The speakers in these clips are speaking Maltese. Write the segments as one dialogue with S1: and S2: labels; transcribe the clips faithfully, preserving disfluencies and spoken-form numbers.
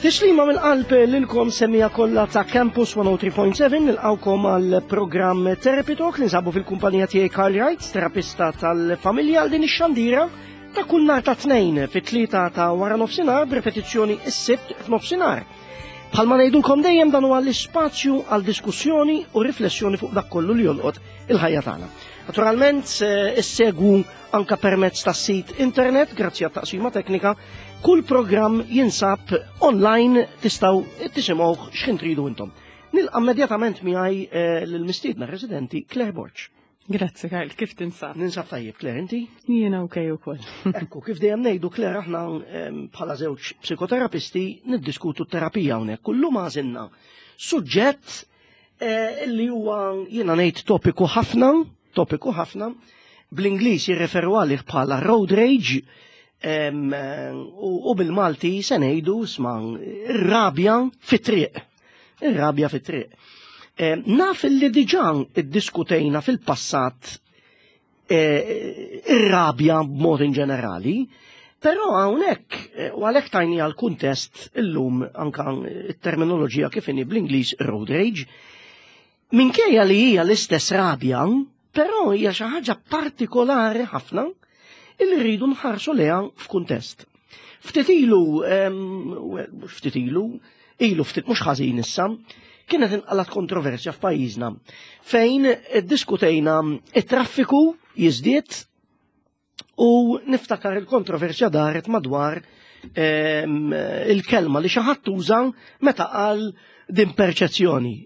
S1: Tislima mill-qalb lilkom, semmiegħa kollha ta' Campus mija u tlieta punt seba'. Nilqgħukom għal programm Therapy Talk li nsabu fil-kumpanija tiegħi Karl Wright, terapista tal-familja, għal din ix-xandira ta' kull nhar ta' Tnejn fit-tlieta ta' wara nofsinhar, b'repetizzjoni s-Sibt f'nofsinhar. Bħalma ngħidulkom dejjem, dan huwa l-ispazju għal diskussjoni u riflessjoni fuq dak kollu li jolqot il-ħajja tagħna. Naturalment issegwu anka permezz tas-sit internet, grazzi għat-taqsima teknika. Kull programm jinsab online, tistgħu tisimgħuh x'ħin tridu intom. Nilqa' immedjatament miegħi eh, lill-mistiedna residenti Claire Borg.
S2: Grazzi Karl, kif tinsab?
S1: Ninsab tajjeb, Claire, inti?
S2: Jiena okej ukoll.
S1: Ekku, kif dejjem ngħidu, Claire, aħna bħala żewġ psikoterapisti niddiskutu terapija hawnhekk. Kullum għażilna suġġett eh, li huwa, jiena ngħid, topiku ħafna, topiku ħafna, bl-Ingliż jirreferu għalih bħala road rage, u bil-Malti se ngħidu sma ir-rabja fit-triq. Ir-rabja fit-triq. Naf li diġà iddiskutejna fil-passat eh, ir-rabja b'mod in ġenerali, però hawnhekk eh, u għalhekk tajni għal kuntest illum anka it-terminoloġija kif inhi bl-Ingliż road rage, minkejja li hija l-istess rabja, però hija xi ħaġa partikolari ħafna illi rridu nħarsu leha f'kuntest. Ftit ilu, ftit ilu, ilu ftit mhux ħażin issa, kienet inqalat kontroversja f'pajjiżna fejn iddiskutejna it-traffiku jiżdied u niftakar il-kontroversja daret madwar il-kelma li xi ħadd uża meta qal din perċezzjoni.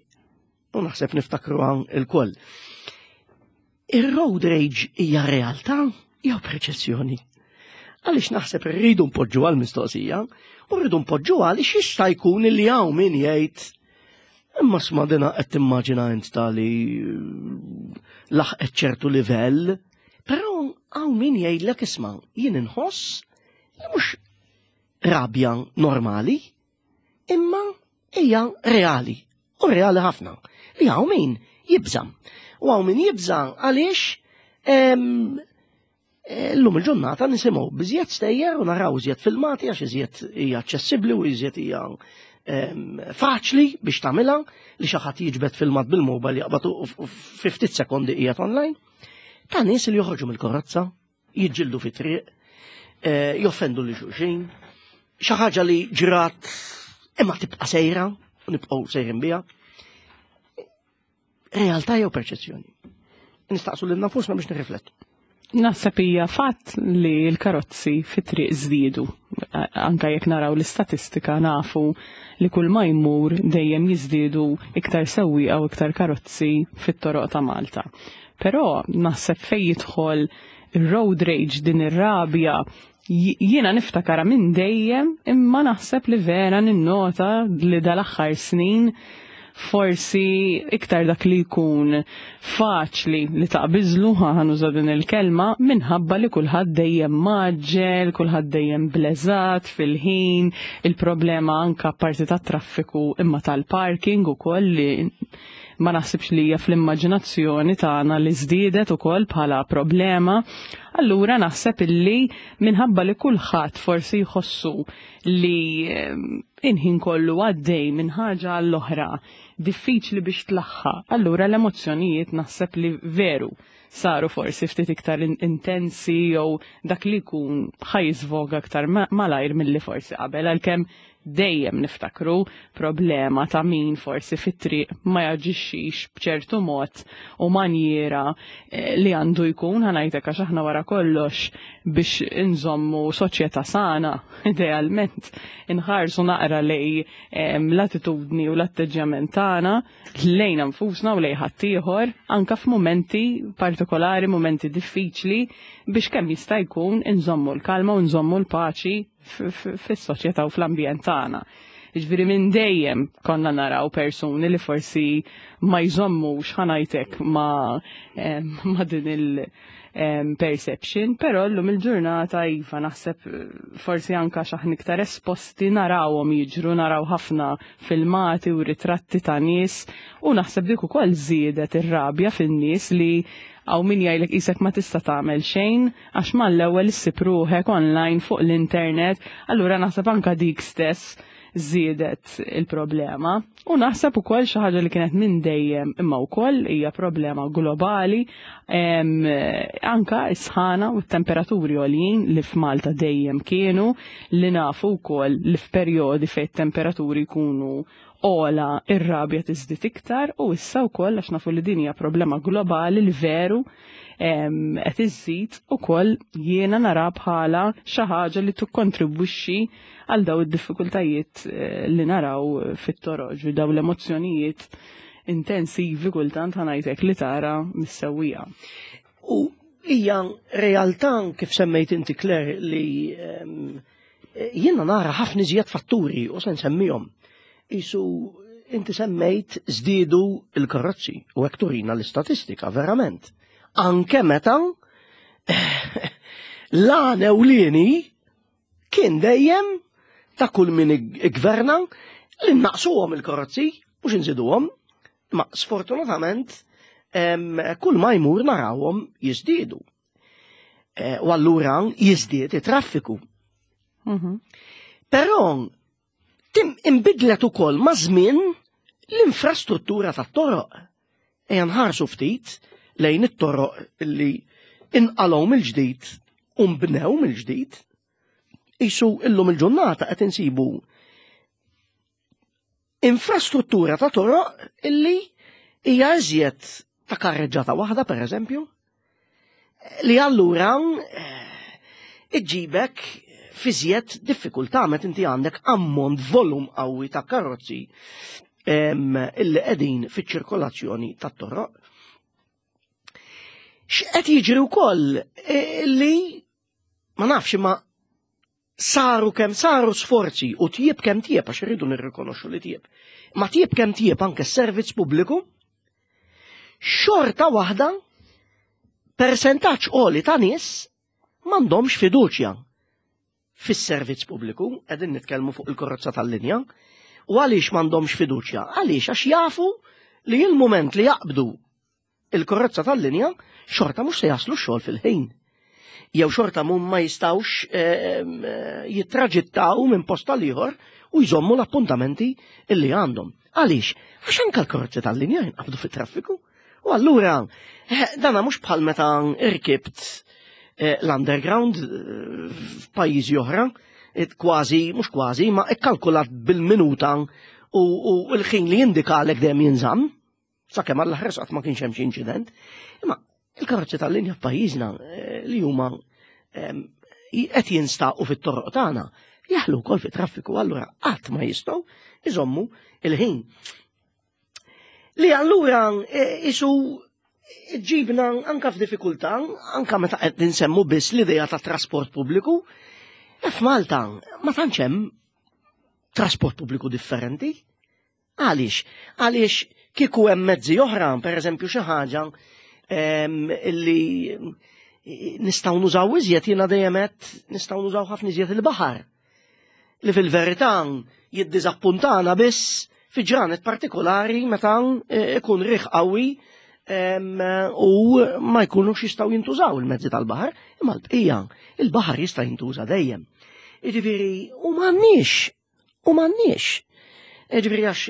S1: U naħseb niftakru il-koll. Ir-road rage hija realtà jew perċezzjoni? Għaliex naħseb rridu npoġġu għal-mistoqsija u rridu npoġġu għaliex jista' jkun li hawn min jgħid, "Imma sma dina qed timmaġina int tali laħqet ċertu livell," però hawn min jgħidlek, "Isma', jien inħoss li mhux rabja normali, imma hija reali, u reali ħafna." Li hawn min jibża'. U hawn min jibża' għaliex llum il-ġurnata nisimgħu b'iżjed stejjer u naraw iżjed filmati, għax iżjed hija aċċessibbli u iżjed hija faċli biex tagħmilha li xi ħadd jiġbed filmat bil-mobile, jaqbad u fi ftit sekondi qiegħed online. Ta' nies li joħorġu mill-karozza, jiġġieldu fit-triq, eh, joffendu lil xulxin, xi ħaġa li ġrat imma tibqa' sejra u nibqgħu sejrin biha. Realtà jew perċezzjoni? Nistaqsu lil nafusna biex nirriflettu.
S2: Naħseb hija fatt li l-karozzi fit-triq żdiedu. Anka jekk naraw l-istatistika, nafu li kull ma jmur dejjem jiżdiedu iktar sewwieqa u iktar karozzi fit-toroq ta' Malta. Però naħseb fej jidħol ir-road rage, din ir-rabja, jiena niftakara minn dejjem, imma naħseb li vera ninnota li dal-aħħar snin forsi iktar dak li jkun faċli li taqbiżlu, ħa nuża din il-kelma, minħabba li kulħadd dejjem mgħaġġel, kulħadd dejjem bleżat fil-ħin, il-problema anka parti tat traffiku imma tal-parking ukoll, li ma naħsibx li hija fl-immaġinazzjoni tagħna li żdiedet ukoll bħala problema. Allura naħseb illi minħabba li kulħadd forsi jħossu li inħin kollu għaddej minn ħaġa għall-oħra, diffiċli biex tlaħħaq, allura l-emozzjonijiet naħseb li veru saru forsi ftit iktar intensi jew dak li jkun ħa jiżvoga aktar malajr milli forsi qabel, għalkemm dejjem niftakru problema ta' min forsi fit-triq ma jaġixxix b'ċertu mod u manjiera eh, li għandu jkun, ħa ngħidlek, għax aħna wara kollox biex inżommu soċjetà sana, idealment inħarsu naqra lej l-attitudni u l-atteġġjament tagħna lejn nfusna u lejn ħaddieħor anka f'mumenti partikolari, mumenti diffiċli, biex kemm jista' jkun inżommu l-kalma u nżommu l-paċi fis-soċjetà u fl-ambjent tagħna. Ġifieri minn dejjem konna naraw persuni li forsi ma jżommux, ħa ngħidlek, ma, ma din il-perception, però llum il-ġurnata iva, naħseb forsi anka xaħn iktar esposti narawhom jiġru, naraw ħafna filmati u ritratti ta' nies u naħseb dik ukoll żiedet ir-rabja fin-nies, li hawn min jgħidlek qisek ma tista' tagħmel xejn għax mal-ewwel issib ruħek online fuq l-internet, allura naħseb anka dik stess żiedet il-problema. U naħseb ukoll xi ħaġa li kienet minn dejjem imma wkoll hija problema globali, anka s-sħana u t-temperaturi għoljin li f'Malta dejjem kienu, li nafu wkoll li f'perjodi fejn temperaturi jkunu ola ir-rabja tiżdied iktar, u issa wkoll għax nafu li din hija problema globali li veru qed iżżid ukoll jiena nara bħala xi ħaġa li tikkontribwixxi għal daw id-diffikultajiet li naraw fit-toroġ u daw l-emozzjonijiet intensivi kultant ħanajtek li tara mis-sewwieqa.
S1: U hija realtà kif semmejt inti Claire li jiena nara ħafna iżjed fatturi u se nsemmihom. Isu inti semmejt żdiedu il-karozzi u hekk turina l-istatistika verament. Anke meta l-għan ewlieni kien dejjem ta' kull min iggverna li naqsuhom il-karozzi mhux inżiduhom, ma sfortunatament kull ma jmur narawhom jiżdiedu. U allura jiżdied it-traffiku. Però tim imbidlet ukoll ma' żmien l-infrastruttura tat-toroq. Ejja nħarsu ftit lejn it-toroq li inqalgħu mill-ġdid u nbnew mill-ġdid. Isu illum il-ġurnata qed insibu infrastruttura ta' toroq illi hija iżjed ta' karreġġata waħda pereżempju, li allura iġġibek fiżjed diffikultà meta inti għandek ammont volum qawwi ta' karozzi illi qegħdin fiċ-ċirkolazzjoni tat-toroq. X'qed jiġri wkoll li ma nafx ma saru kemm saru sforzi u tjieb kemm tjieb għax irridu nirrikonoxxu li tjieb. Ma tjieb kemm tjieb anke s-servizz pubbliku, xorta waħda persentaġġ għoli ta' nies m'għandhomx fiduċja fis-servizz pubbliku, qegħdin nitkellmu fuq il-karozza tal-linja, u għaliex m'għandhomx fiduċja? Għaliex għax jafu li il-mument li jaqbdu il-karozza tal-linja xorta mhux se jaslu x-xogħol fil-ħin. Jew xorta mhum ma jistgħux jittraġittaw minn post għal ieħor u jżommu l-appuntamenti illi għandhom. Għaliex? Għax anke l-karozzi tal-linja jinqabdu fit-traffiku. U allura dana mhux bħal meta irkibt l-underground f'pajjiżi oħra, kważi, mhux kważi, ma ikkalkulat bil-minuta u l-ħin li jindikalek dejjem jinżamm, sakemm għall-aħħar qatt ma kienx hemm xi inċident. Imma il-karozzi tal-linja f'pajjiżna li huma qed jinstaqu fit-toroq tagħna jaħlu wkoll fit-traffiku, allura qatt ma jistgħu iżommu il-ħin. Li allura isu ġibna anka f'diffikultà, anka meta qed ninsemmu biss l-idea ta' trasport pubbliku, f'Malta ma tantx hemm trasport pubbliku differenti. Għaliex? Għaliex kieku hemm mezzi oħra, pereżempju xi ħaġa illi nistgħu nużaw iżjed, jiena dejjem qed nistgħu nużaw ħafna iżjed il-baħar. Li fil-verità jiddiżappuntana biss fi ġranet partikolari meta ikun riħ qawwi u ma jkunux jistgħu jintużaw il-mezzi tal-baħar, imma l-bqija il-baħar jista' jintuża dejjem. Jiġifieri u m'għandniex, u m'għandniex. Jiġifieri għax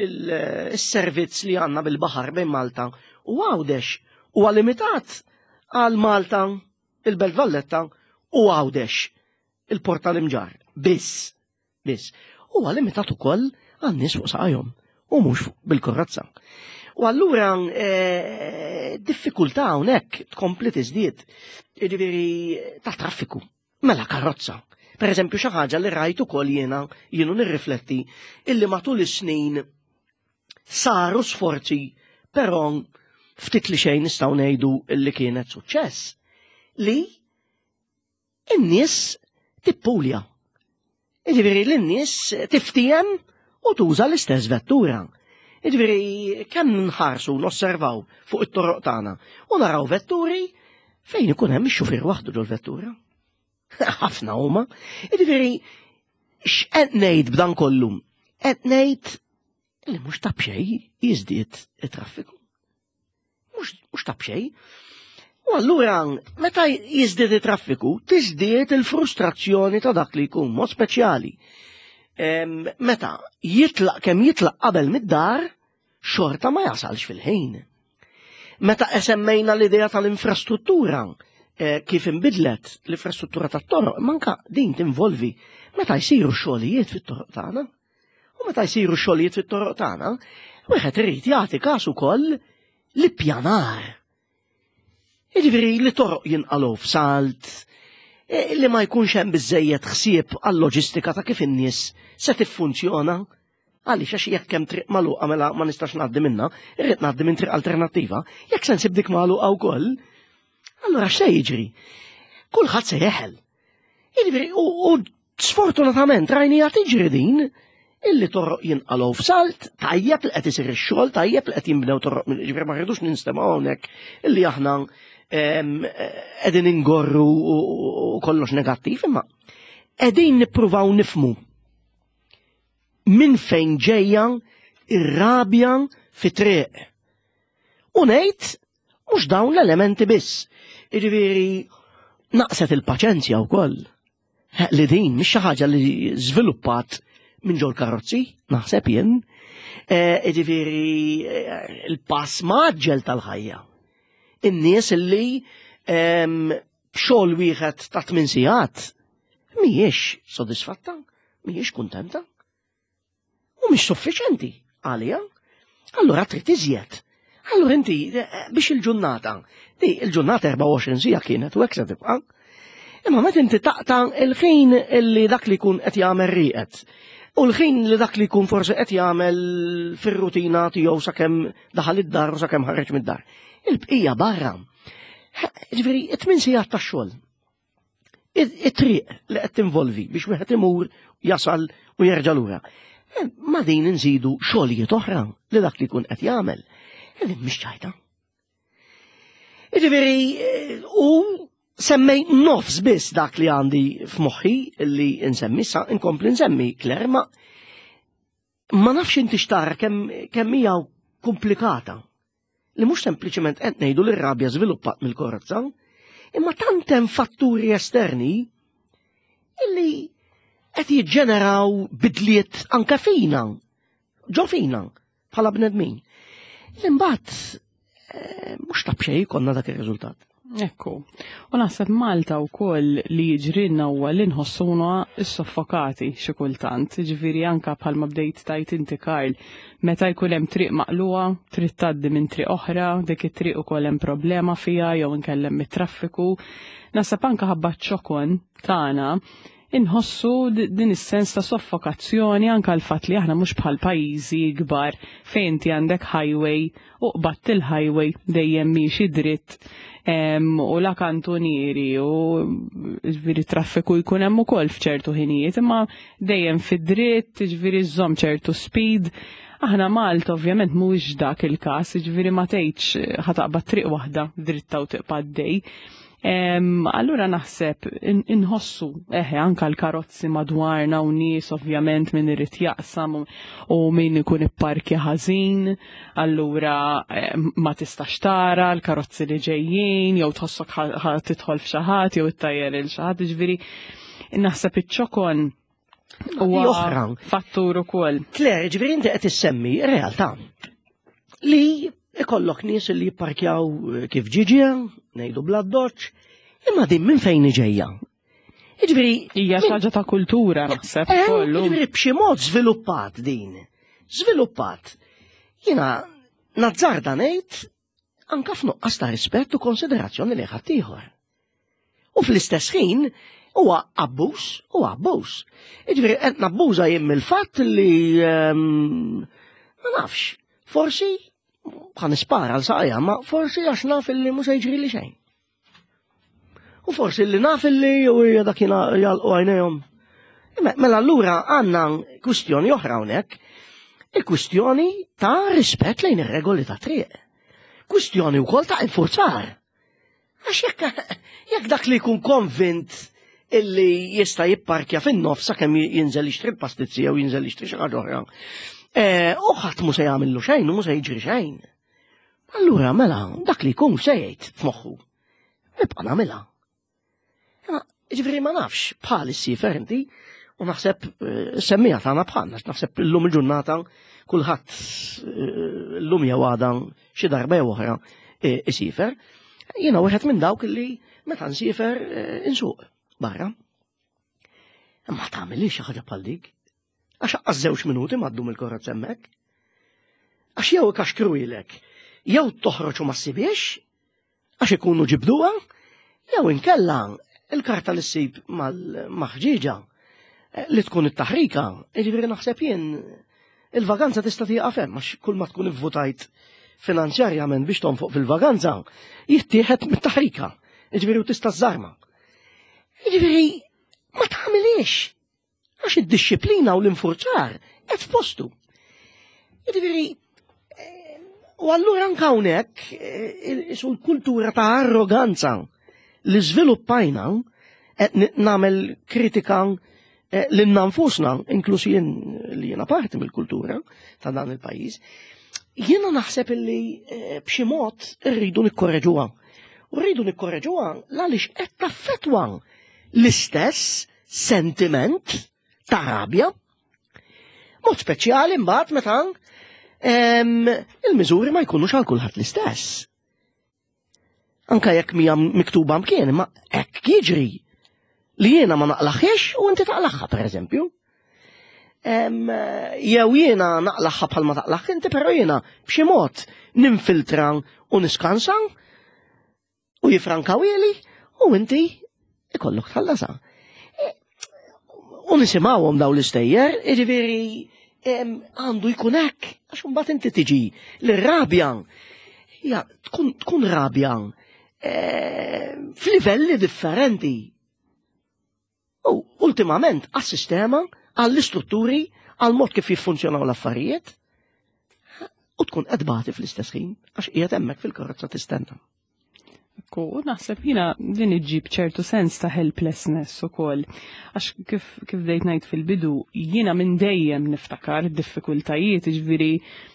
S1: il-servizz li għandna bil-baħar bejn Malta u Għawdex huwa limitat għal Malta, il-Belt Valletta u Għawdex, il-Port tal-Imġarr. Biss, biss. Huwa limitat ukoll għan-nies fuq saqajhom u mhux bil-karozza. U allura diffikultà hawnhekk tkompli tiżdied, jiġifieri ta' traffiku, mela karozza. Per eżempju xi ħaġa li rajt ukoll jiena jienu nirrifletti illi matul is-snin saru sforzi, però ftit li xejn nistgħu ngħidu illi kienet suċċess, li n-nies tippulja. Jiġifieri l-nies tiftiem u tuża l-istess vettura. Jiġifieri kemm nħarsu nosservaw fuq it-toroq tagħna u naraw vetturi fejn ikun hemm ix-xufier waħdu ġol-vettura. Ħafna huma. Jiġifieri x'qed ngħid b'dan kollu? Qed ngħid li mhux ta' b'xejn jiżdied it-traffiku. Mhux ta' b'xejn. U allura meta jiżdied it-traffiku, tiżdied il-frustrazzjoni ta' dak li jkun mod speċjali. Meta jitlaq kemm jitlaq qabel mid-dar, xorta ma jasalx fil-ħin. Meta semmejna l-idea tal-infrastruttura, eh, kif inbidlet l-infrastruttura tat-toroq, manka din tinvolvi meta jsiru xogħlijiet fit-toroq tagħna. U meta jsiru xogħlijiet fit-toroq tagħna, wieħed irid jagħti każ ukoll l-ippjanar. Jiġifieri li toroq jinqalgħu f'salt, eh, li ma jkunx hemm biżejjed ħsieb għal-loġistika ta' kif in-nies se tiffunzjona. Għaliex għax jekk hemm triq magħluqa mela ma nistax ngħaddi minnha, irrid ngħaddi minn triq alternattiva, jekk se nsib dik magħluqa wkoll, allura x'se jiġri? Kulħadd se jeħel. Jiġifieri u sfortunatament rajnija tiġri din illi toroq jinqalgħu f'salt, tajjeb li qed isir ix-xogħol, tajjeb li qed jinbnew toroq, jiġifieri ma rridux ninstemgħu hawnhekk illi aħna qegħdin ingorru u kollox negattiv, imma qegħdin nippruvaw nifmu minn fejn ġejja ir-rabja fit-triq. U ngħid mhux dawn l-elementi biss. Jiġifieri naqset il-paċenzja wkoll. Li din mhix xi ħaġa li żviluppat minn ġol karozzi, naħseb jien. Jiġifieri il-pass mgħaġġel tal-ħajja. In-nies li b'xogħol wieħed ta' tmien sigħat mhijiex sodisfatta, mhijiex kuntenta. U mhix suffiċenti għalija. Allura trid iżjed. Allura inti biex il-ġurnata, di il-ġurnata erbgħa u għoxrin siegħa kienet u hekk se tibqa'. Imma meta inti taqta' il-ħin illi dak li jkun qed jagħmel rieqed. U l-ħin li dak li jkun forsi qed jagħmel fir-rutina tiegħu sakemm daħal id-dar u sakemm ħareġ mid-dar. Il-bqija barra. Ġifieri, it-tmien sigħat tax-xogħol. It-triq li qed tinvolvi biex wieħed imur jasal u jerġa' lura. Ma din inżidu xogħlijiet oħra li dak li jkun qed jagħmel. Din mhix ċajta. Jiġifieri, u semmej nofs biss dak li għandi f'moħħi li nsemmi, sa inkompli nsemmi, Claire, ma ma nafx inti xtara kemm kemm hija komplikata. Li mhux sempliċement qed ngħidu li r-rabja żviluppat mill-karozza, imma tant hemm fatturi esterni illi qed jiġġeneraw bidliet anke fina, ġo fina, bħala bnedmin. Li mbagħad mhux ta' b'xejn konna dak ir-riżultat.
S2: Ekku. U naħseb Malta wkoll li jiġrilna huwa li nħossuna soffokati xi kultant. Ġifieri anka bħalma bdejt tajt inti Karl, meta jkun hemm triq maqluha, trid tgħaddi minn triq oħra, dik it-triq ukoll hemm problema fiha jew inkellem mit-traffiku. Naħseb anka ħabba ċ-ċokon tagħna inħossu din is-sens ta' soffokazzjoni anka l-fatt li aħna mhux bħal pajjiżi kbar fejn inti għandek highway u qbadt il-highway dejjem miexi dritt u la kantunieri u ġifieri traffiku jkun hemm ukoll f'ċertu ħinijiet, imma dejjem fid-dritt, ġifieri żżomm ċertu speed. Aħna Malta ovvjament mhuwiex dak il-każ, ġifieri ma tgħidx ħataqbad triq waħda dritta u tibqa' għaddej. Allura naħseb inħossu eħe anka l-karozzi madwarna u nies ovvjament min irid jaqsam u min ikun ipparkja ħażin, allura ma tistax tara l-karozzi li ġejjin jew tħossok tidħol f'xi ħadd jew ittajjer il xi ħadd, ġifieri naħseb iċ-ċokon huwa
S1: oħra
S2: fattur ukoll.
S1: Claire, ġifieri inti qed issemmi realtà li ikollok nies li jipparkjaw kif ġiġi, ngħidu bla doċ, imma din minn fejn ġejja. Jiġifieri
S2: hija xi ħaġa ta' kultura naħseb kollu.
S1: Jiġifieri b'xi mod żviluppat din. Żviluppat. Jiena nazzarda ngħid anka f'nuqqas ta' rispett u konsiderazzjoni li ħaddieħor. U fl-istess ħin huwa abbuż, huwa abbuż. Jiġifieri qed nabbuża jien mill-fatt li ma nafx, forsi ħa nispara għal saqajja, ma forsi għax naf illi mhux se jiġri li xejn. U forsi li naf illi u hija dak jgħalqu għajnejhom. Mela allura għandna kwistjoni oħra hawnhekk, il-kwistjoni ta' rispett lejn ir-regoli ta' triq. Kwistjoni wkoll ta' infurzar. Għax jekk jekk dak li jkun konvint illi jista' jipparkja fin-nofs sakemm jinżel jixtri l-pastizzi jew jinżel jixtri xi ħaġa oħra. U ħadd mhu se jagħmillu xejn u mhu se jiġri xejn. Allura mela dak li jkun se jgħid f'moħħu. Nibqa' nagħmilha. Ġifieri ma nafx bħal issifer inti U naħseb eh, semmija tagħna bħalna, naħseb illum il-ġurnata kulħadd eh, llum jew għada xi darba jew oħra eh, isifer. Jiena wieħed minn dawk li meta nsifer insuq barra. Ma tagħmilix xi ħaġa bħal dik. Għax aqqas żewġ minuti ma ddum il-karozza hemmhekk. Għax jew ikaxkruhielek, jew toħroġ u ma ssibiex, għax ikunu ġibduha, jew inkella il-karta li ssib mal-maħġiġa eh, li tkun it-taħrika, jiġifieri naħseb jien il-vaganza tista' tieqaf hemm għax kull ma tkun ivvutajt finanzjarjament biex tonfoq fil-vaganza, jittieħed mit-taħrika, jiġifieri u tista' żarma. Jiġifieri ma tagħmilix għax id-disciplina u l-infurzar qed f'postu. Jiġifieri eh, u allura anke hawnhekk eh, isu l-kultura ta' arroganza li żviluppajna qed nagħmel kritika eh, lil nfusna, inkluż jien li jiena parti mill-kultura ta' dan il-pajjiż, jiena naħseb illi eh, b'xi mod irridu nikkorreġuha. U rridu nikkorreġuha għaliex qed taffettwa l-istess sentiment ta' rabja. Mod speċjali mbagħad meta em, il-miżuri ma jkunux għal kulħadd l-istess. Anka jekk mija miktuba mkien, ma hekk jiġri li jiena ma naqlaħiex u inti taqlaħħa pereżempju. Em, Jew jiena naqlaħħa bħal ma taqlaħ inti, però jiena b'xi mod ninfiltra u niskansa u jifrankawieli u inti ikollok tħallasa. E, U nisimgħuhom daw l-istejjer, jiġifieri em, għandu jkun hekk, għax imbagħad inti tiġi l-rabja. Ja, tkun, tkun rabja eh, f'livelli differenti. U ultimament għas-sistema, għall-istrutturi, għal-mod kif jiffunzjonaw l-affarijiet, u tkun qed tbati fl-istess ħin, għax qiegħed hemmhekk fil-karozza tistenna.
S2: Ekku, u naħseb jina din iġġib ċertu sens ta' helplessness ukoll. Għax kif, kif bdejt ngħid fil-bidu, jiena minn dejjem niftakar id-diffikultajiet, ġifieri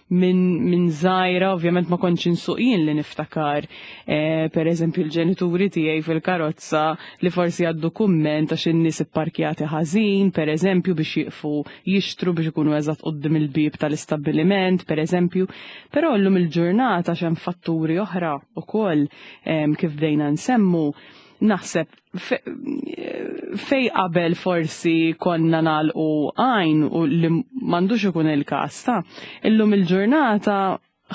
S2: minn min żgħira, ovvjament ma kontx insuq jien li niftakar, eh, per eżempju l-ġenituri tiegħi fil-karozza li forsi għaddu kumment għax in-nies ipparkjati ħażin, per eżempju biex jiqfu jixtru biex ikunu eżatt quddiem il-bieb tal-istabbiliment, per eżempju. Però llum il-ġurnata x'hemm fatturi oħra ukoll em, kif bdejna nsemmu, naħseb fe- fej qabel forsi konna nagħlqu għajn u li m'għandux ikun il-każ ta' illum il-ġurnata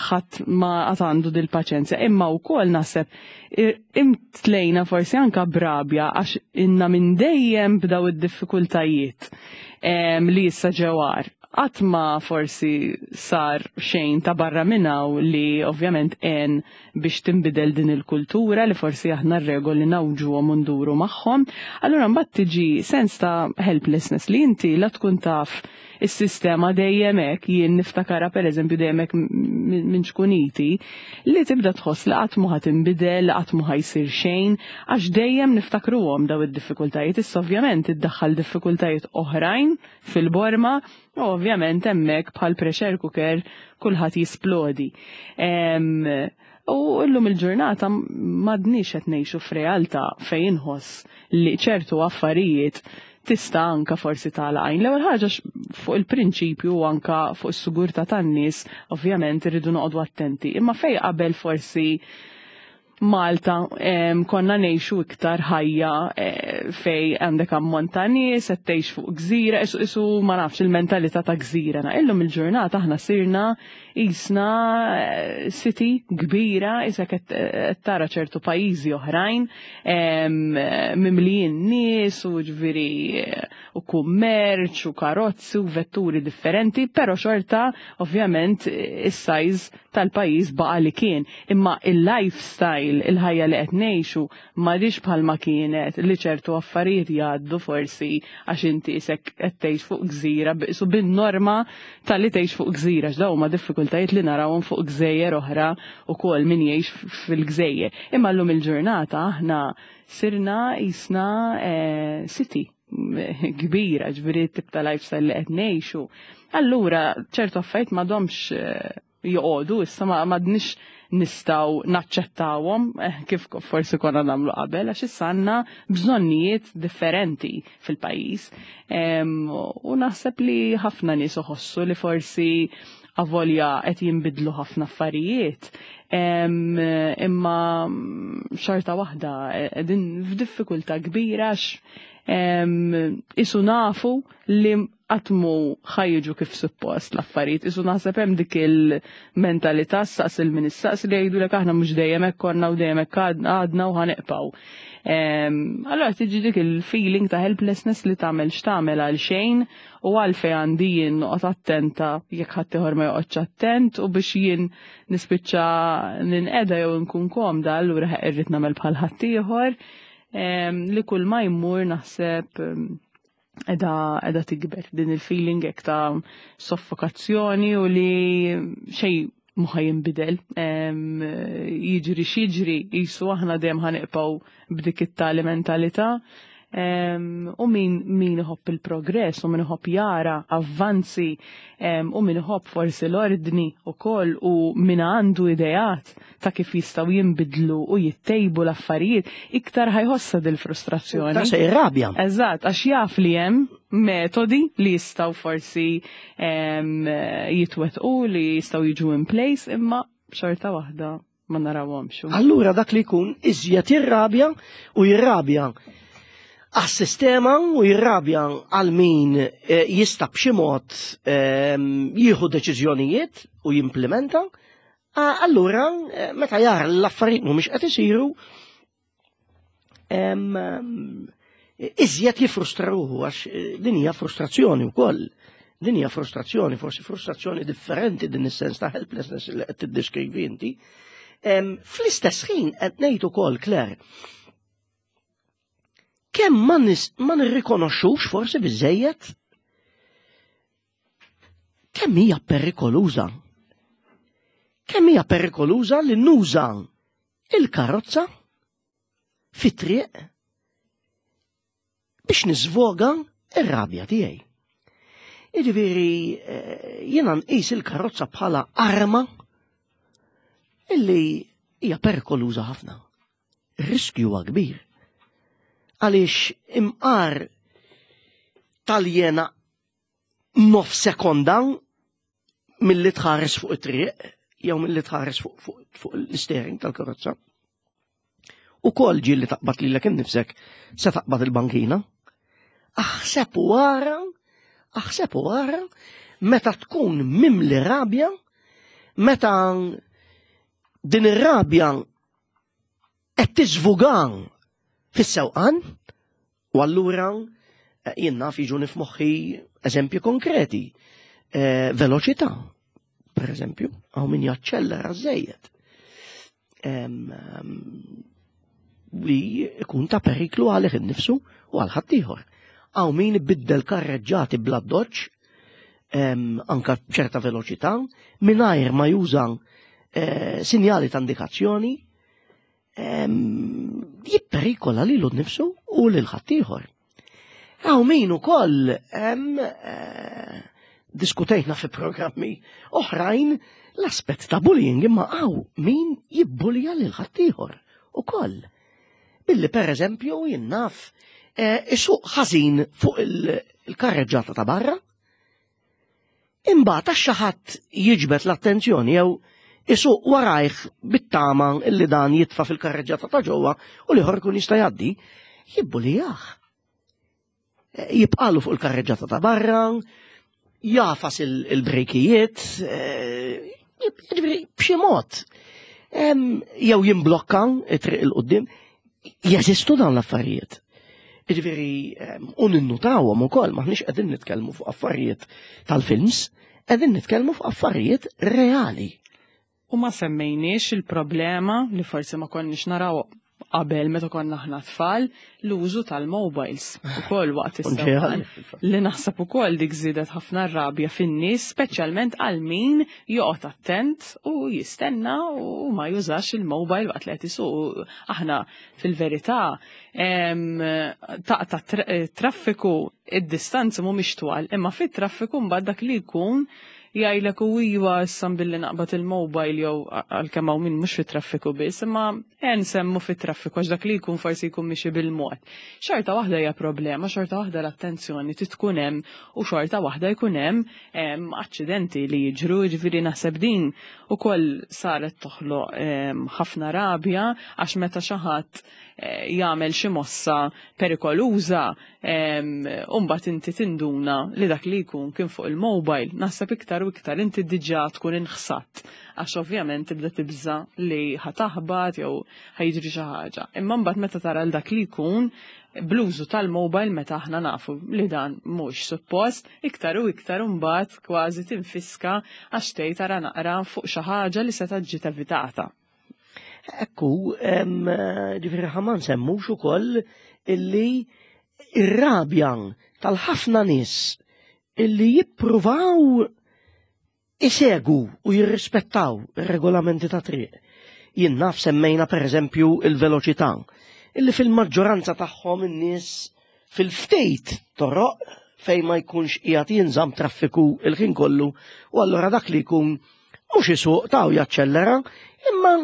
S2: ħadd ma għad għandu dil-paċenzja, imma wkoll naħseb i- imtlejna forsi anka b'rabja għax inna minn dejjem b'daw id-diffikultajiet em, li issa ġewar. Qatt ma forsi sar xejn ta' barra minnaw li ovvjament en biex tinbidel din il-kultura li forsi aħna r-regoli ngħawġuhom u nduru magħhom. Allura mbagħad tiġi sens ta' helplessness li inti la tkun taf is-sistema dejjem hekk, jien niftakara pereżempju dejjem hekk minn ċkuniti, li tibda tħoss li qatt mhu tinbidel, li qatt mhu ħajsir xejn, għax dejjem niftakruhom daw id-diffikultajiet. Issa ovvjament iddaħħal diffikultajiet oħrajn fil-borma u ovvjament hemmhekk bħal pressure cooker kulħadd jisplodi. Em, U llum il-ġurnata m'għadniex qed ngħixu f'realtà fejn inħoss li ċertu affarijiet tista' anka forsi tagħlaq għajn. L-ewwel ħaġa fuq il-prinċipju u anka fuq is-sigurtà tan-nies, ovvjament irridu noqogħdu attenti. Imma fej qabel forsi Malta em, konna ngħixu iktar ħajja eh, fej għandek ammont ta' nies, qed tgħix fuq gżira, isu, isu ma nafx il-mentalità ta' gżira. Na, illum il-ġurnata aħna sirna jisna eh, city kbira, isa qed qed tara ċertu pajjiżi oħrajn em, mimlijin nies u ġifieri eh, u kummerċ u karozzi u vetturi differenti, però xorta ovvjament is-size tal-pajjiż baqa li kien. Imma il-lifestyle, il-ħajja li qed ngħixu m'għadix bħalma kienet li ċertu affarijiet jgħaddu forsi għax inti isek qed tgħix fuq gżira biqsu bin-norma tal-li tgħix fuq gżira x'daw huma diffikultajiet li narawhom fuq gżejjer oħra ukoll min jgħix fil-gżejjer. Imma llum il-ġurnata aħna sirna jisna eh, city kbira, ġifieri tip ta' lifestyle li qed ngħixu. Allura ċertu affarijiet m'għadhomx eh, joqogħdu issa, ma m'għadniex nistgħu naċċettawhom eh, kif forsi konna nagħmlu qabel, għax issa għandna bżonnijiet differenti fil-pajjiż. U naħseb li ħafna nies iħossu li forsi avolja qed jinbidlu ħafna affarijiet, imma xorta waħda qegħdin f'diffikultà kbira għax isu nafu li qatt mhu ħa jiġu kif suppost l-affarijiet. Isu naħseb hemm dik il-mentalità, saqs il-min issaqs li jgħidulek aħna mhux dejjem hekk konna u dejjem hekk għadna u ħa nibqgħu. Allora tiġi dik il-feeling ta' helplessness li tagħmel x'tagħmel għal xejn, u għalfejn għandi jien noqgħod attenta jekk ħaddieħor ma joqgħodx attent, u biex jien nispiċċa ninqeda jew nkun komda, allura irrid nagħmel bħal ħaddieħor, li kull ma jmur naħseb edha edha tikber din il-feeling hekk ta' soffokazzjoni u li xejn mhu ħa jinbidel. Jiġri x'jiġri, jisu aħna dejjem ħa nibqgħu b'dik it-tali mentalità. U min min iħobb il-progress u min iħobb jara avvanzi u min iħobb forsi l-ordni u koll u min għandu ideat ta' kif jistgħu jinbidlu u jittejbu l-affarijiet, iktar ħa jħossha dil-frustrazzjoni.
S1: Ta' se jirrabja.
S2: Eżatt, għax jaf li hemm metodi li jistgħu forsi jitwetqu, li jistgħu jiġu in place, imma xorta waħda ma narawhomx.
S1: Allura dak li jkun iżjed jirrabja u jirrabja għas-sistema u jirrabja għal min eh, jista' b'xi mod ehm, jieħu deċiżjonijiet u jimplementa, allura eh, meta jara l-affarijiet mhumiex qed isiru, ehm, iżjed jifrustra ruħu, għax eh, din hija frustrazzjoni wkoll. Din hija frustrazzjoni, forsi frustrazzjoni differenti din is-sens ta' helplessness li qed tiddeskrivi inti. Ehm, fl-istess ħin qed ngħid ukoll, Claire, kemm ma, ma nirrikonoxxux forsi biżejjed kemm hija perikoluża. Kemm hija perikoluża li nuża il-karozza fit-triq biex niżvoga ir-rabja tiegħi. Jiġifieri eh, jiena nqis il-karozza bħala arma illi hija perikoluża ħafna. Ir-riskju huwa kbir. Għaliex imqar taljena nof sekonda mill-li tħares fuq it-triq jew mill-li tħares fuq, fuq, fuq l-steering tal-karozza. U kol ġi li taqbad lilek innifsek se taqbad il-bankina. Aħseb u ara, aħseb u ara, meta tkun mimli rabja, meta din ir-rabja qed tiżvugan fis-sewqan, u allura eh, jien naf jiġuni f'moħħi eżempji konkreti. Eh, veloċità, per eżempju, hawn min jaċċellera żejjed. Li ikun ta' periklu għalih innifsu u għal ħaddieħor. Hawn min ibiddel karreġġati bla doċ, anka ċerta veloċità, mingħajr ma juża eh, sinjali ta' indikazzjoni, jipperikola lilu nnifsu u lil ħaddieħor. Hawn min ukoll eh, diskutejna fi programmi oħrajn l-aspett ta' bullying, imma hawn min jibbulja lil ħaddieħor ukoll. Billi per eżempju jien naf eh, isuq ħażin fuq il-karreġġata ta' barra, imbagħad għax xi ħadd jiġbed l-attenzjoni jew isuq warajh bit-tama illi dan jitfa' fil-karreġġata ta' ġewwa u l-ieħor ikun jista' jgħaddi, jibbulijah. Jibqalu fuq il-karreġġata ta' barra, jafas il-brejkijiet, eh, jiġifieri b'xi mod. Jew jimblokka it-triq il-qudiem, jeżistu dawn l-affarijiet. Jiġifieri, u ninnutawhom ukoll, maħniex qegħdin nitkellmu fuq affarijiet tal-films, qegħdin nitkellmu fuq affarijiet reali.
S2: U ma semmejniex il-problema li forsi ma konniex naraw qabel meta konna aħna tfal, l-użu tal-mobiles ukoll waqt is-sewqan. Li naħseb ukoll dik żiedet ħafna rabja fin-nies, speċjalment għal min joqgħod attent u jistenna u ma jużax il-mobile waqt li qed isuq. Aħna fil-verità taqta' traffiku, id-distanzi mhumiex twal, imma fit-traffiku mbagħad dak li jkun Jgħidlek u iwa issa billi naqbad il-mobile jew għalkemm hawn min mhux fit-traffiku biss, imma nsemmu fit-traffiku għax dak li jkun forsi jkun mixi bil-mod. Xorta waħda hija problema, xorta waħda l-attenzjoni tkun hemm u xorta waħda jkun hemm aċċidenti li jiġru, ġifieri naħseb din ukoll saret toħloq ħafna rabja għax meta xi ħadd eh, jagħmel xi mossa perikoluża u mbagħad inti tinduna li dak li jkun kien fuq il-mobile, naħseb iktar u iktar inti diġà tkun inħsatt għax ovvjament tibda tibża li ħa taħbat jew ħa jiġri xi ħaġa. Imma mbagħad meta tara l dak li jkun bl-użu tal-mobile meta aħna nafu li dan mhux suppost, iktar u iktar mbagħad kważi tinfiska għax tgħid tara naqra fuq xi ħaġa li se ġiet evitata.
S1: Ekku, ġifieri ħa ma nsemmux ukoll illi ir-rabja tal-ħafna nies illi jippruvaw isegu u jirrispettaw ir-regolamenti ta' triq. Jien naf semmejna per eżempju il-veloċità, illi fil-maġġoranza tagħhom in-nies fil-ftejt toroq fejn ma jkunx qiegħed jinżamm traffiku il-ħin kollu u allura dak li jkun mhux isuq taw jaċċellera, imma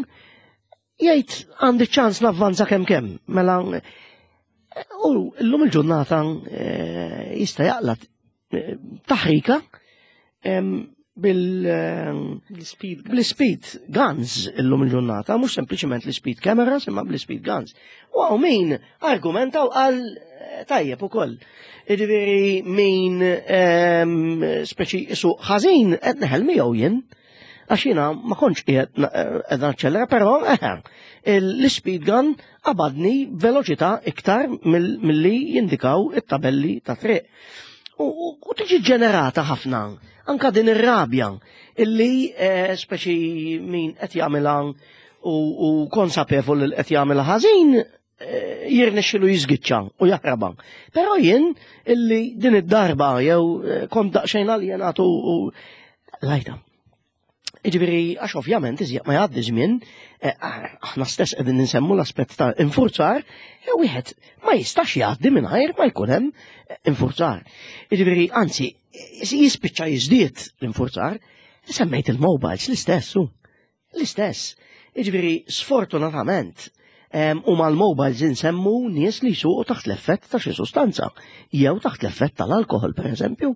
S1: jgħid għandi ċans navvanza kemm kemm. Mela u llum il-ġurnata eh, jista' jaqla eh, taħrika bil
S2: L-speed
S1: bl-speed guns illum il-ġurnata, mhux sempliċement l-speed cameras, imma bl-speed guns. U hawn min argumenta u qal eh, tajjeb ukoll. Jiġifieri min speċi isuq ħażin qed neħel miegħu jien. Għax jiena ma kontx qiegħed qed naċċellera, però eh, l-speed gun qabadni veloċità iktar milli jindikaw it-tabelli ta' triq. U u tiġi ġenerata ħafna anka din ir-rabja illi eh, speċi min qed jagħmilha u, u konsapevol li qed jagħmilha ħażin eh, jirnexxilu jiżgiċċa u jaħraba. Però jien illi din id-darba jew eh, kont daqsxejn aljenat u u lajta. Iġifieri, għax ovvjament iżjed ma jgħaddi żmien, eh, aħna stess qegħdin ninsemmu l-aspett ta' infurzar, e wieħed ma jistax jgħaddi mingħajr ma jkun hemm infurzar. Iġifieri, anzi, jispiċċa jiżdied l-infurzar, semmejt il-mobiles l-istess, hu. L-istess. Iġifieri, sfortunatament, em, u mal-mobiles insemmu nies li jsuqu taħt l-effett ta' xi sustanza, jew taħt l-effett tal-alkohol, per eżempju.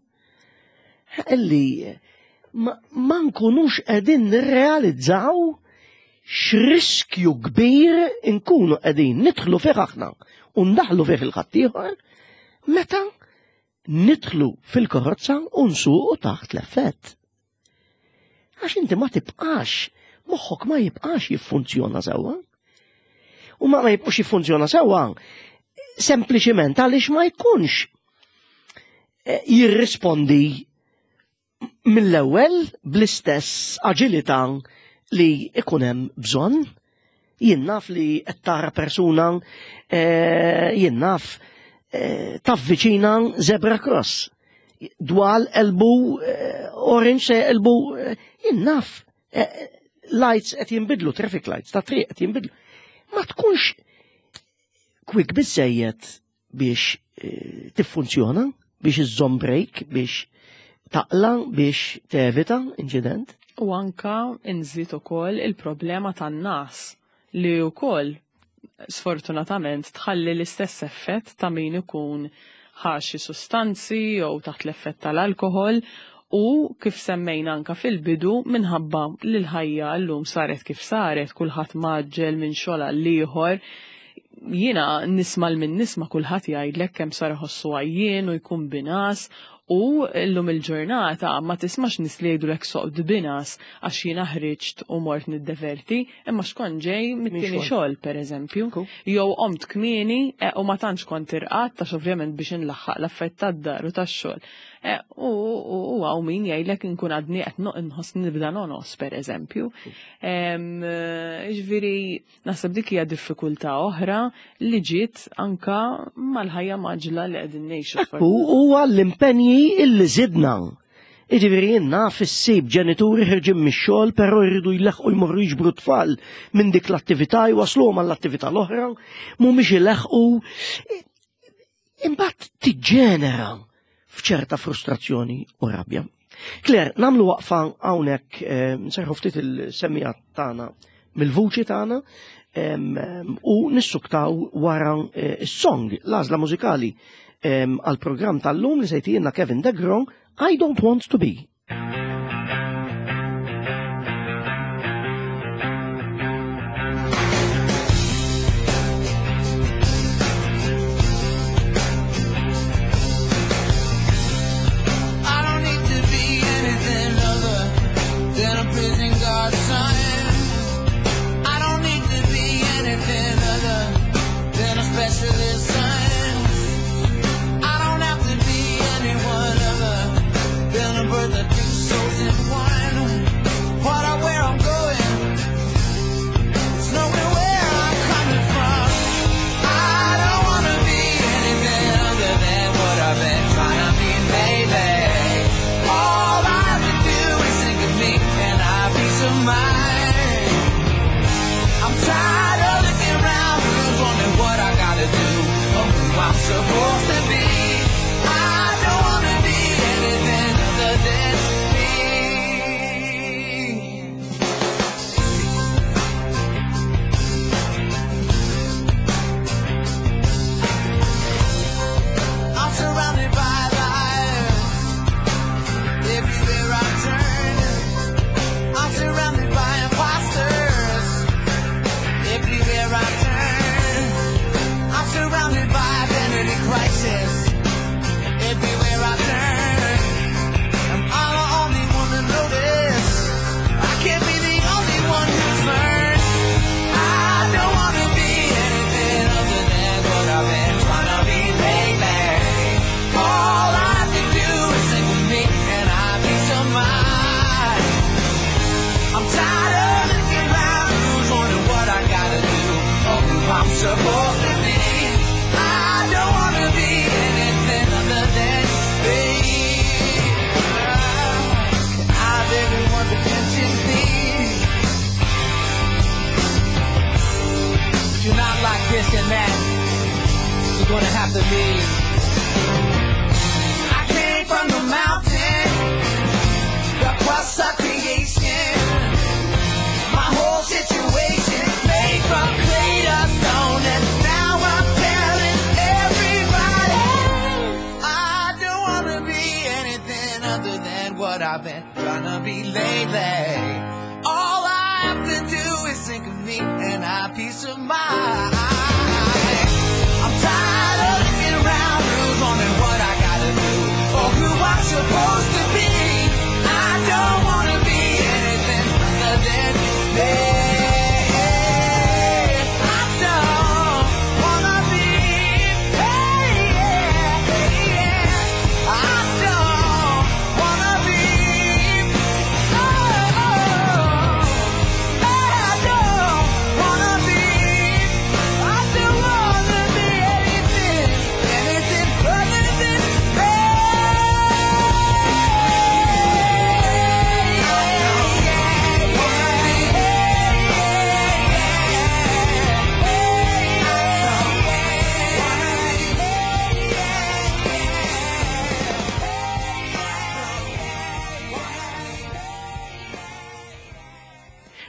S1: Illi ma, ma nkunux qegħdin nirrealizzaw x'riskju kbir inkunu qegħdin nidħlu fih aħna u ndaħlu fih il-ħaddieħor meta nidħlu fil-karozza u nsuqu taħt l-effett. Għax inti ma tibqax, moħħok ma jibqax jiffunzjona sewwa. U ma ma jibqax jiffunzjona sewwa sempliċiment għaliex ma jkunx eh, jirrispondi mill-ewwel bl-istess aġilità li ikun hemm bżonn. Jien naf li qed tara persuna eh, jien naf eh, tavviċina zebra cross. Dwal elbu eh, orange se elbu eh, jien naf eh, lights qed jinbidlu, traffic lights ta' triq qed jinbidlu. Ma tkunx quick biżejjed biex eh, tiffunzjona, biex iżżomm break, biex taqla biex tevita inċident.
S2: U anka nżid ukoll il-problema tan-nas li wkoll sfortunatament tħalli l-istess effett ta' min ikun ħa xi sustanzi jew taħt l-effett tal-alkohol u kif semmejna anka fil-bidu minħabba li l-ħajja llum saret kif saret, kulħadd mgħaġġel minn xogħol għal ieħor. Jiena nisma' l min nisma' kulħadd jgħidlek kemm sar iħossu għajjien u jkun binhas u llum il-ġurnata ma tismax nies li jgħidulek soqt binhas għax jiena ħriġt u mort niddeverti, imma xkont ġej mit-tieni
S1: xogħol.
S2: xogħol pereżempju.
S1: Ku.
S2: Jew qomt kmieni e, u ma tantx kont irqadt għax ovvjament biex inlaħħaq l-affarijiet tad-dar u tax-xogħol. E, U u hawn min jgħidlek inkun għadni qed no- nħoss nibda nonos pereżempju. Em, Ġifieri naħseb dik hija diffikultà oħra li ġiet anka mal-ħajja mgħaġġla li qegħdin ngħixu.
S1: U huwa l-impenji illi zidna. Iġifieri jien naf issib ġenituri ħerġin mix-xogħol però jridu jleħqu jmorru jiġbru tfal minn dik l-attività jwasluhom għall-attività l-oħra, mhumiex ileħqu. Imbagħad tiġġenera f'ċerta frustrazzjoni u rabja. Claire, nagħmlu waqfa hawnhekk, nserrħu ftit il-semmiegħa tagħna mill-vuċi tagħna u nissuktaw wara is-song, l-għażla mużikali għal-programm tal-lum li se jtina Kevin Degron, "I Don't Want to Be".
S3: I don't need to be anything other than a prison guard son. I don't need to be anything other than a specialist son. I don't have to be anyone other than a birth of two souls in one. What I where I'm going, it's knowing where I'm coming from. I don't wanna be anything other than what I've been trying to be lately. All I have to do is think of me and I have peace of mind. I'm tired of looking around rooms, wondering what I gotta do or who I'm supposed to be. I don't wanna be anything other than me. I'm surrounded by lies. Everywhere I turn, I'm surrounded by imposters. Everywhere I turn, I'm surrounded by identity crisis. Everywhere I turn, am I the only one to notice? I can't be the only one who's learned. I don't wanna be anything other than what I've been trying to be lately. All I have to do is think of me and I have peace of mind. I'm tired of looking round rooms, wondering what I gotta do or who I'm supposed to be. I don't wanna be anything other than me. Can I have everyone's attention, please? If you're not like this and that, you're gonna have to leave. I came from the mountain, the crust of creation. My whole situation made from clay to stone, and now I'm telling everybody I don't wanna be anything other than what I've been trying to be lately. All I have to do is think of me and I have peace of mind. I'm tired of looking around rooms, wondering what I gotta do or who I'm supposed to be. I don't wanna be anything other than me. I don't wanna be, hey, yeah, yeah. I don't wanna be, oh, oh. I don't wanna be, I don't wanna be anything, anything other than me.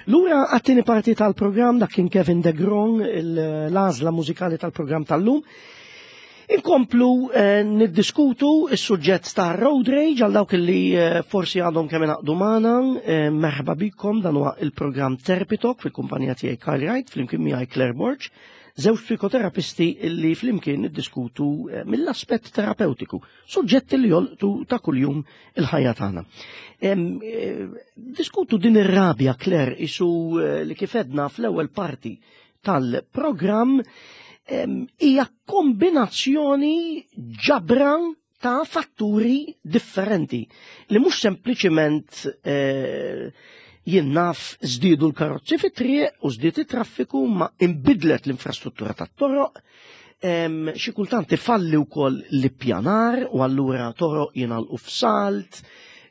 S1: Lura għat-tieni parti tal-programm, dak kien Kevin DeGron, l-għażla mużikali tal-programm tal-lum. Inkomplu eh, niddiskutu is-suġġett ta' road rage. Għal dawk li eh, forsi għadhom kemm ingħaqdu magħna, eh, merħba bikom, dan huwa il-programm Therapy Talk fil-kumpanija tiegħi Kyle Wright, flimkien miegħi Claire Borg, żewġ psikoterapisti illi flimkien niddiskutu eh, mill-aspett terapeutiku, suġġetti li jolqtu ta' kuljum il-ħajja tagħna. Em, eh, Diskutu din ir-rabja, Claire, isu eh, li kif għedna fl-ewwel parti tal-programm em, hija kombinazzjoni, ġabra ta' fatturi differenti li mhux sempliċiment eh, jien naf żdiedu l-karozzi fit-triq u żdied it-traffiku, ma imbidlet l-infrastruttura tat-toroq, em, xi kultant ifalli wkoll l-ippjanar u allura toroq jingħalqu f'salt,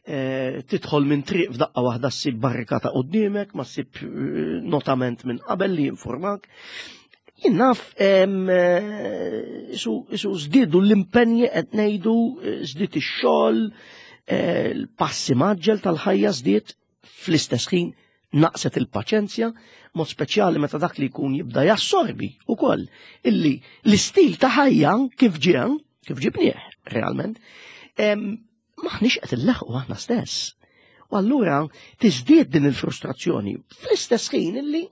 S1: eh, tidħol minn triq, f'daqqa waħda ssib barrikata quddiemek, ma ssib eh, notament minn qabel li jinformak. Jien naf em, eh, isu isu żdiedu l-impenji, qed ngħidu, eh, żdied ix-xogħol, eh, l-passi mgħaġġel tal-ħajja żdied, fl-istess ħin naqset il-paċenzja, mod speċjali meta dak li jkun jibda jassorbi ukoll illi l-istil ta' ħajja kif ġie, kif ġibnieh realment, maħniex qed illeħqu aħna stess. U allura tiżdied din il-frustrazzjoni fl-istess ħin illi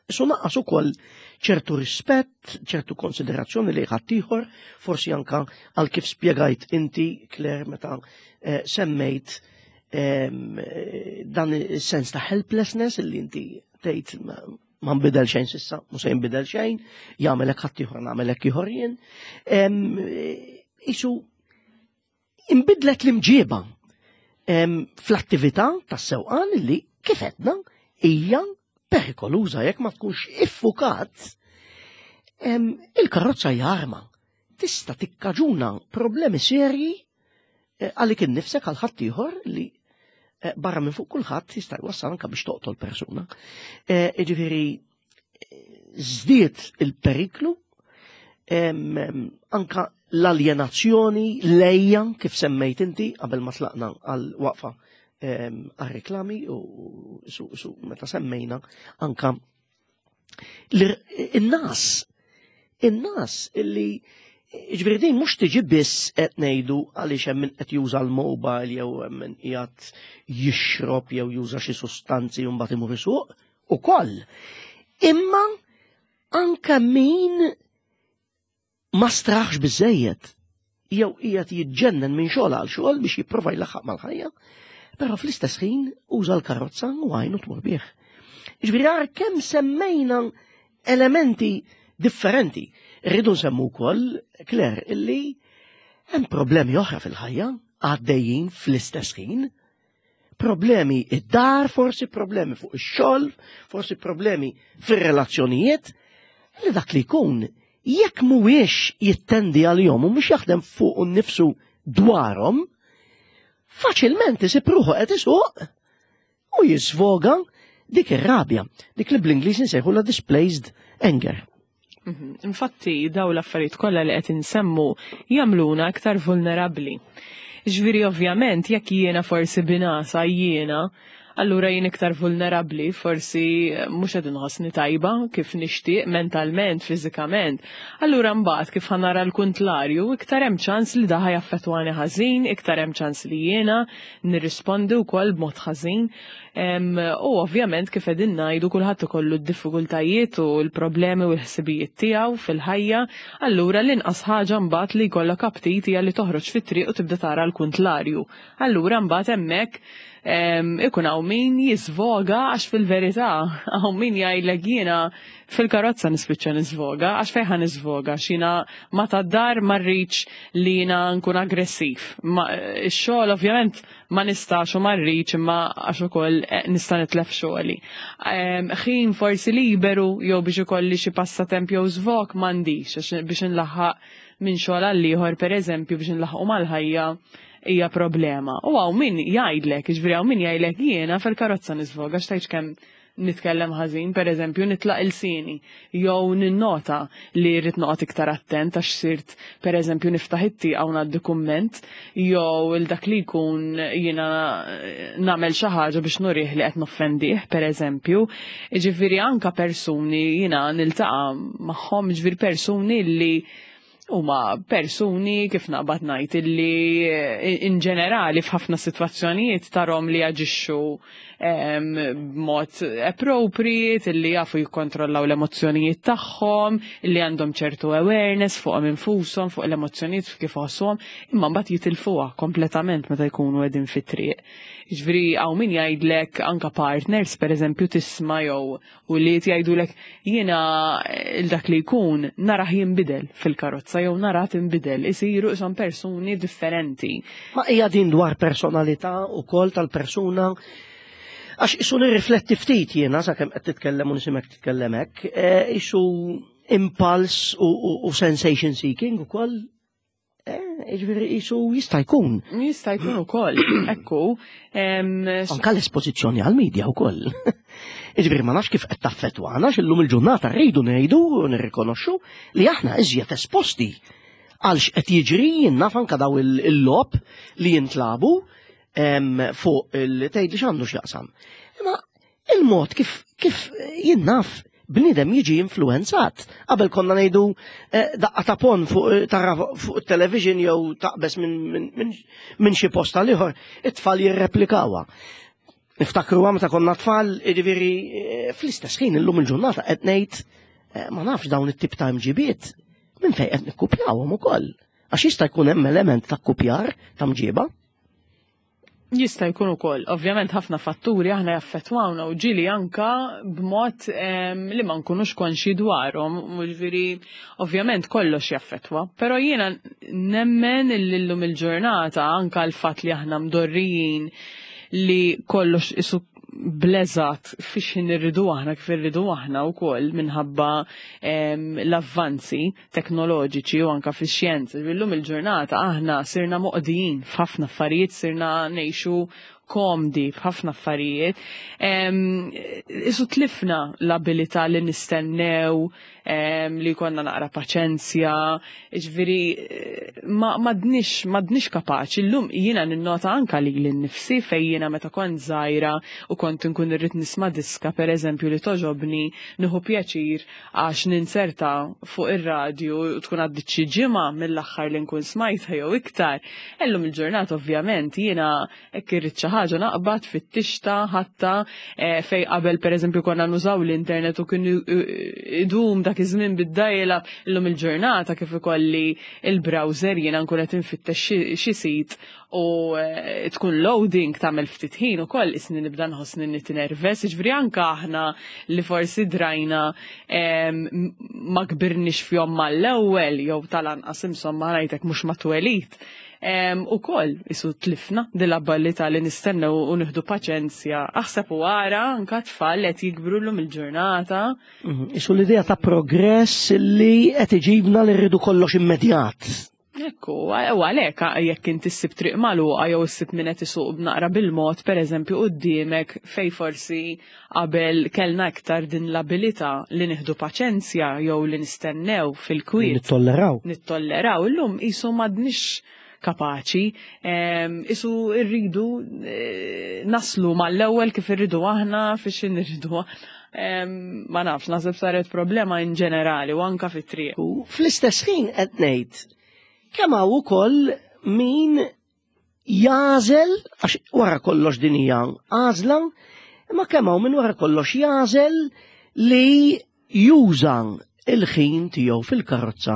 S1: su naqqas ukoll ċertu rispett, ċertu konsiderazzjoni li ħaddieħor, forsi anka għal kif spjegajt inti, Claire, meta eh, semmejt dan is-sens ta' helplessness illi inti tgħid ma nbidel xejn s'issa, mhux se jinbidel xejn, jagħmel hekk ħaddieħor, nagħmel hekk ieħor jien. Isu imbidlet l-imġieba fl-attività tas-sewqan li kif għedna hija perikoluża jekk ma tkunx iffukat. Il-karozza hija arma. Tista' tikkaġuna problemi serji eh, għalik innifsek, għal ħaddieħor, li eh, barra minn fuq kulħadd jista' jwassal anke biex toqtol persuna. Eh, jiġifieri żdied il-periklu, anka l-aljenazzjoni, l-għeja, kif semmejt inti qabel ma tlaqna għal waqfa għal-reklami u su, su meta semmejna anka in-nas in-nas illi ġifieri din mhux tiġi biss qed ngħidu għaliex hemm min qed juża l-mobile jew hemm min qiegħed jixrob jew juża xi sustanzi u mbagħad imur isuq ukoll. Imma anka min ma straħx biżejjed jew qiegħed jiġġennen minn xogħol għal xogħol biex jipprova jlaħħaq mal-ħajja, però fl-istess ħin uża l-karozza u għajnu tmur bih. Ġifieri għar kemm semmejna elementi differenti. Rridu nsemmu wkoll, Claire, illi hemm problemi oħra fil-ħajja għaddejjin fl-istess ħin. Problemi id-dar, forsi problemi fuq ix-xogħol, forsi problemi fir-relazzjonijiet, li dak li jkun jekk mhuwiex jittendi għalihom u mhux jaħdem fuq nifsu dwarhom, faċilment isib ruħu qed isuq u jisvoga dik ir-rabja, dik li bl-Ingliż insejħu la displaced anger.
S2: Mhm. Infatti, daw l-affarijiet kollha li qed insemmu jagħmluna aktar vulnerabbli. Ġifieri ovvjament jekk jiena forsi binasa jiena, allura jien iktar vulnerabbli, forsi mhux qed inħossni tajba kif nixtieq mentalment, fiżikament. Allura mbagħad kif ħa nara l-kuntlarju, iktar hemm ċans li dan ħa jaffettwani ħażin, iktar hemm ċans li jiena nirrispondi wkoll b'mod ħażin. U ovvjament kif qegħdin ngħidu, kulħadd ikollu d-diffikultajiet u l-problemi u l-ħsibijiet tiegħu fil-ħajja, allura l-inqas ħaġa mbagħad li jkollok aptit hija li toħroġ fit-triq u tibda tara l-kuntlarju. Allura mbagħad hemmhekk ikun hawn min jisvoga, għax fil-verità hawn min jgħidlek jiena fil-karozza nispiċċa nisvoga, għax fejn ħa nisvoga, x'jiena ma tad-dar ma rridx li jiena nkun aggressiv. Ix-xogħol ovvjament ma nistax u ma rridx, imma għax ukoll eh, nista' nitlef xogħli. Ħin forsi liberu jew biex ikolli xi passatemp jew żvog m'għandix, għax biex nlaħħaq minn xogħol għal ieħor, pereżempju, biex nlaħħqu mal-ħajja hija problema. U hawn min jgħidlek, ġifieri hawn min jgħidlek jiena fil-karozza nisvoga, x'tgħidx kemm nitkellem ħażin, per eżempju, nitlaq ilsieni, jew ninnota li rrid noqgħod iktar attent għax sirt, per eżempju, niftaħ it-tieqa u ngħaddi kumment, jew il dak li jkun jiena nagħmel xi ħaġa biex nurih li qed noffendih, per eżempju. Ġifieri anka persuni jiena niltaqa' magħhom, ġifieri persuni li huma persuni, kif naqbad ngħid, illi eh, in ġenerali f'ħafna sitwazzjonijiet tarahom li jaġixxu b'mod appropriate, illi jafu jikkontrollaw l-emozzjonijiet tagħhom, illi għandhom ċertu awareness fuqhom infushom, fuq l-emozzjonijiet kif iħossuhom, imma mbagħad jitilfuha kompletament meta jkunu qegħdin fit-triq. Ġifieri hawn min jgħidlek, anka partners pereżempju tisma' jew u li jgħidulek jiena il dak li jkun narah jinbidel fil-karozza jew narah tinbidel, isiru isom persuni differenti.
S1: Ma hija din dwar personalità ukoll tal-persuna. Għax isu nirrifletti ftit jiena sakemm qed titkellem u nisimek titkellem hekk, eh, isu impulse u, u, u sensation seeking ukoll. Eh, ġifieri isu jista' jkun.
S2: Jista' jkun ukoll, ekku. em,
S1: Anka l-espożizzjoni għal-medja wkoll. Ġifieri ma nafx kif qed taffettwana, x'illum il-ġurnata rridu ngħidu u nirrikonoxxu li aħna iżjed esposti għal x'qed jiġri, jien naf anka daw il-logħob li jintlabu fuq il-tgħid li x'għandu x'jaqsam. Imma il-mod kif kif jien naf bniedem jiġi influenzat. Qabel konna ngħidu eh, daqqa ta' pon fuq eh, tara fuq it-television jew taqbes minn min, min xi post għal ieħor, it-tfal jirreplikawha. Niftakru meta konna tfal, jiġifieri eh, fl-istess ħin illum il-ġurnata qed ngħid ma nafx dawn it-tip ta' mġibiet minn fejn qed nikkupjawhom ukoll. Għax jista' jkun hemm element ta' kupjar ta' mġiba.
S2: Jista' jkun ukoll. Ovvjament ħafna fatturi aħna jaffettwawna u ġieli anka b'mod li ma nkunux konxi dwarhom, jiġifieri ovvjament kollox jaffettwa. Però jiena nemmen illum il-ġurnata anka l-fatt li aħna mdorrijin li kollox isu bleżat fiex irridu aħna kif irridu aħna wkoll minħabba l-avvanzi teknoloġiċi u anka fix-xjenza. Illum il-ġurnata aħna sirna moqdijin f'ħafna affarijiet, sirna ngħixu komdi f'ħafna affarijiet. Isu tlifna l-abilità li nistennew, li konna naqra paċenzja, ġifieri ma madnix, madnix kapaċi. Illum jiena ninnota anka li l-nifsi fej jiena meta kont żgħira u kont nkun irrid nisma' diska pereżempju li toġobni, nieħu pjaċir għax ninserta fuq ir-radju u tkun għaddit xi ġimgħa mill-aħħar li nkun smajtha jew iktar. Illum il-ġurnata ovvjament jiena hekk irrid xi ħaġa naqbad fit-tixta ħatta fej qabel pereżempju konna nużaw l-internet u kien idum dak iż-żmien bid-dajla, illum il-ġurnata kif ikolli il-browser jiena nkun qed infittex xi sit u tkun loading tagħmel ftit ħin ukoll isni nibda nħossni nitnerves, jiġifieri anke aħna li forsi drajna ma kbirniex fihom mal-ewwel jew tal-anqas insomma ngħidlek mhux ma twelid. U koll isu tlifna dil-abbiltà li nistennew u nieħdu paċenzja. Aħseb u ara anka tfal qed jikbru llum il-ġurnata.
S1: Isu l-idea ta' progress li qed iġibna li rridu kollox immedjat.
S2: Ekku, u għalhekk jekk inti ssib triq magħluqa jew issib min qed isuq b'naqra bil-mod, pereżempju quddiemek fej forsi qabel kellna iktar din l-abilità li nieħdu paċenzja jew li nistennew fil-kwiet.
S1: Nittolleraw.
S2: Nittolleraw. Illum isu m'għadniex kapaċi, isu rridu naslu mal-ewwel kif irridu aħna fiex irridu. Ma nafx, naħseb saret problema in ġenerali u anka fit-triq.
S1: U fl-istess ħin qed ngħid kemm hawn ukoll min jażel, għax wara kollox din hija għażla, imma kemm hawn min wara kollox jażel li juża il-ħin tiegħu fil-karozza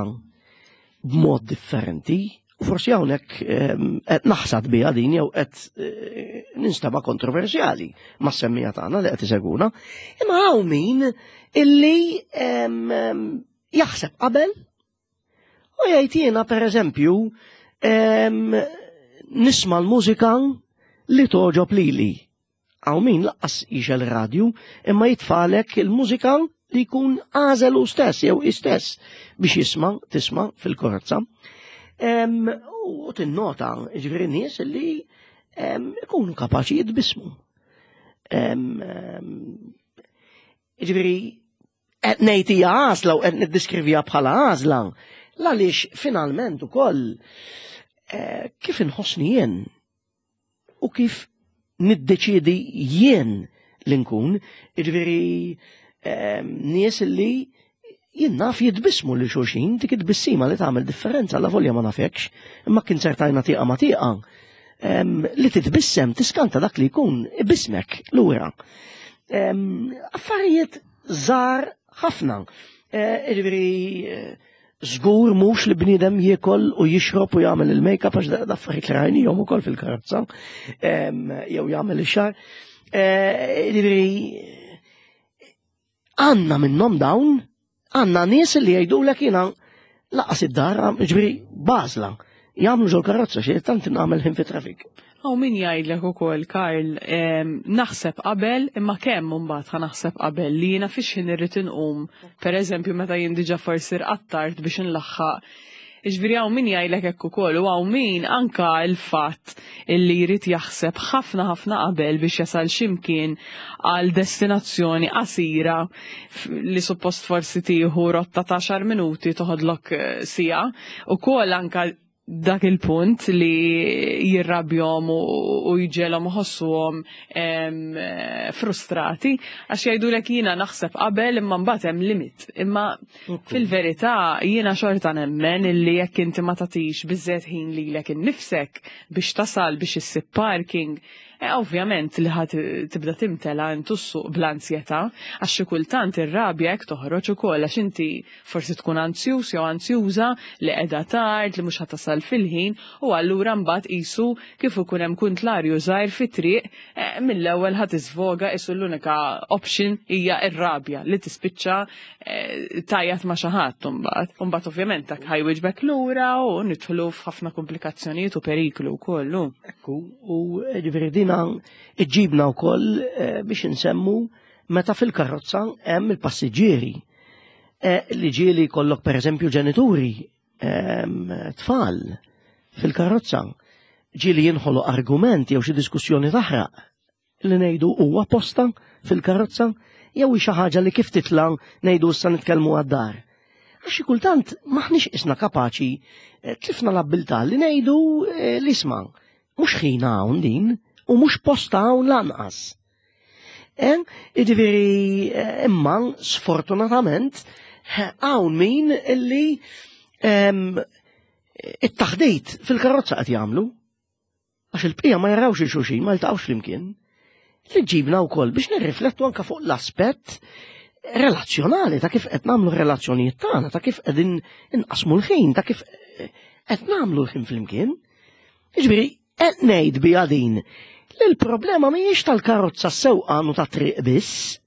S1: b'mod differenti. U forsi hawnhekk qed naħsad biha din jew qed ninstaba' kontroversjali mas-semmija tagħna li qed iseguna. Imma hawn min illi jaħseb qabel u jgħid jiena pereżempju nisma' l-mużika li toġob lili. Hawn min laqqas jixel radju imma jitfalek il-mużika li jkun għażel hu stess jew hi stess biex jisma' tisma' fil-karozza. U tinnota ġifieri nies li ikunu kapaċi jitbismu. Ġifieri qed ngħid hija għażla u qed niddiskrivija bħala għażla, għaliex finalment ukoll kif inħossni jien u kif niddeċiedi jien li nkun, ġifieri nies li jien naf jitbismu li xulxin, dik it-tbissima li tagħmel differenza, la volja ma nafekx, imma kien sertajna tieqa ma tieqa, li titbissem tiskanta dak li jkun ibismek lura. Affarijiet żgħar ħafna. Ġifieri żgur mhux li bniedem jiekol u jixrob u jagħmel il-make-up għax da affarijiet li rajnihom ukoll fil-karozza, jew jagħmel ix-xagħar. Ġifieri għandna minnhom dawn, għandna nies li jgħidulek jiena laqas id-dar, ġifieri bażla, jagħmlu ġol karozza xi tant nagħmel ħin fit-trafik.
S2: Aw min jgħidlek ukoll, Karl, naħseb qabel, imma kemm imbagħad ħa naħseb qabel li jiena fiex ħin irrid inqum. Pereżempju meta jien diġà forsi rqattart biex inlaħħaq Ġifieri hawn min jgħidlek hekk ukoll u hawn min anka l-fatt illi jrid jaħseb ħafna ħafna qabel biex jasal x'imkien għal destinazzjoni qasira li suppost forsi tieħu rotta ta' għaxar minuti toħodlok eh, siegħa. Ukoll anka dak il-punt li jirrabjom u jġelhom ħossuhom frustrati għax jgħidulek jiena naħseb qabel imma mbagħad hemm limit. Imma fil-verità jiena xorta nemmen illi jekk inti ma tagħtix biżżejjed ħin lilek innifsek biex tasal biex issib parking, E ovvjament li ħad tibda timtela intu ssuq bl-ansjetà, għax xi kultant ir-rabja hekk toħroġ ukoll għax inti forsi tkun anzjuż jew anzjuża li qiegħda tard, li mhux ħatasal fil-ħin, u allura mbagħad qisu kif ikun hemm kuntlarju żgħir fit-triq e, mill-ewwel ħad tiżvoga qisu l-unika option hija r-rabja li tispiċċa e, tajjat ma' xi ħadd imbagħad. Imbagħad ovvjament dak ħajwiġbek lura u nidħlu f'ħafna komplikazzjonijiet u periklu wkoll.
S1: Ekku, u ġifieri dina iġibna wkoll eh, biex insemmu meta fil-karozza hemm il-passiġġieri. Eh, li ġieli kollok pereżempju ġenituri, ehm, tfal fil-karozza. Ġieli jinħolu argument jew xi diskussjoni taħraq li ngħidu huwa posta fil-karozza jew xi ħaġa li kif titla' ngħidu issa nitkellmu għad-dar. Għax kultant maħniex isna kapaċi eh, tlifna l-abbiltà li ngħidu li isma' mhux ħin hawn din u mhux posta hawn lanqas. Jiġifieri imma sfortunatament hawn min illi it-taħdit fil-karozza qed jagħmlu. Għax il-bqija ma jarawx il-xulxin, ma jiltaqgħux flimkien. Li ġibna wkoll biex nirriflettu anke fuq l-aspett relazzjonali ta' kif qed nagħmlu relazzjonijiet tagħna, ta' kif qegħdin inqasmu l-ħin, ta' kif qed nagħmlu l-ħin flimkien. Jiġifieri qed ngħid biha din li l-problema mhijiex tal-karozza sewqan u ta' triq biss,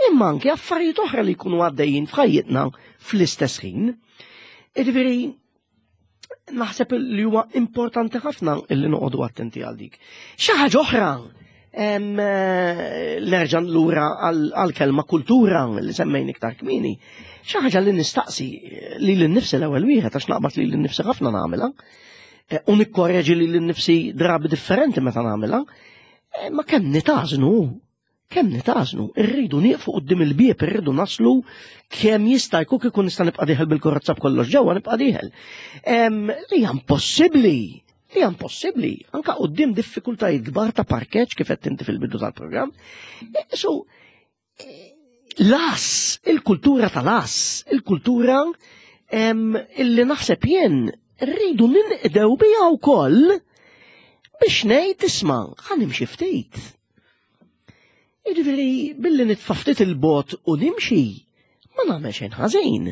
S1: imma anke affarijiet oħra li jkunu għaddejjin f'ħajjitna fl-istess ħin. Jiġifieri naħseb li huwa importanti ħafna illi noqogħdu attenti għal dik. Xi ħaġa oħra, nerġa' lura għall-kelma kultura li semmejn iktar kmieni. Xi ħaġa li nistaqsi lili nnifsi l-ewwel wieħed għax naqbad lili nnifsi ħafna nagħmilha, u nikkorreġi lili nnifsi drabi differenti meta nagħmilha, ma kemm nitażnu, kemm nitażnu, irridu nieqfu quddiem il-bieb, irridu naslu kemm jista' jkun kieku nista' nibqa' dieħel bil-karozza b'kollox ġewwa nibqa' dieħel. Li hija impossibbli, li hija impossibbli, anke quddiem diffikultajiet kbar ta' parkeġġ kif qed inti fil-bidu tal-programm. So, las, il-kultura tal-as, il-kultura illi naħseb jien rridu ninqdew biha wkoll biex ngħid isma' ħa nimxi ftit. Jiġifieri billi nitfa' ftit il-bot u nimxi, ma nagħmel xejn ħażin.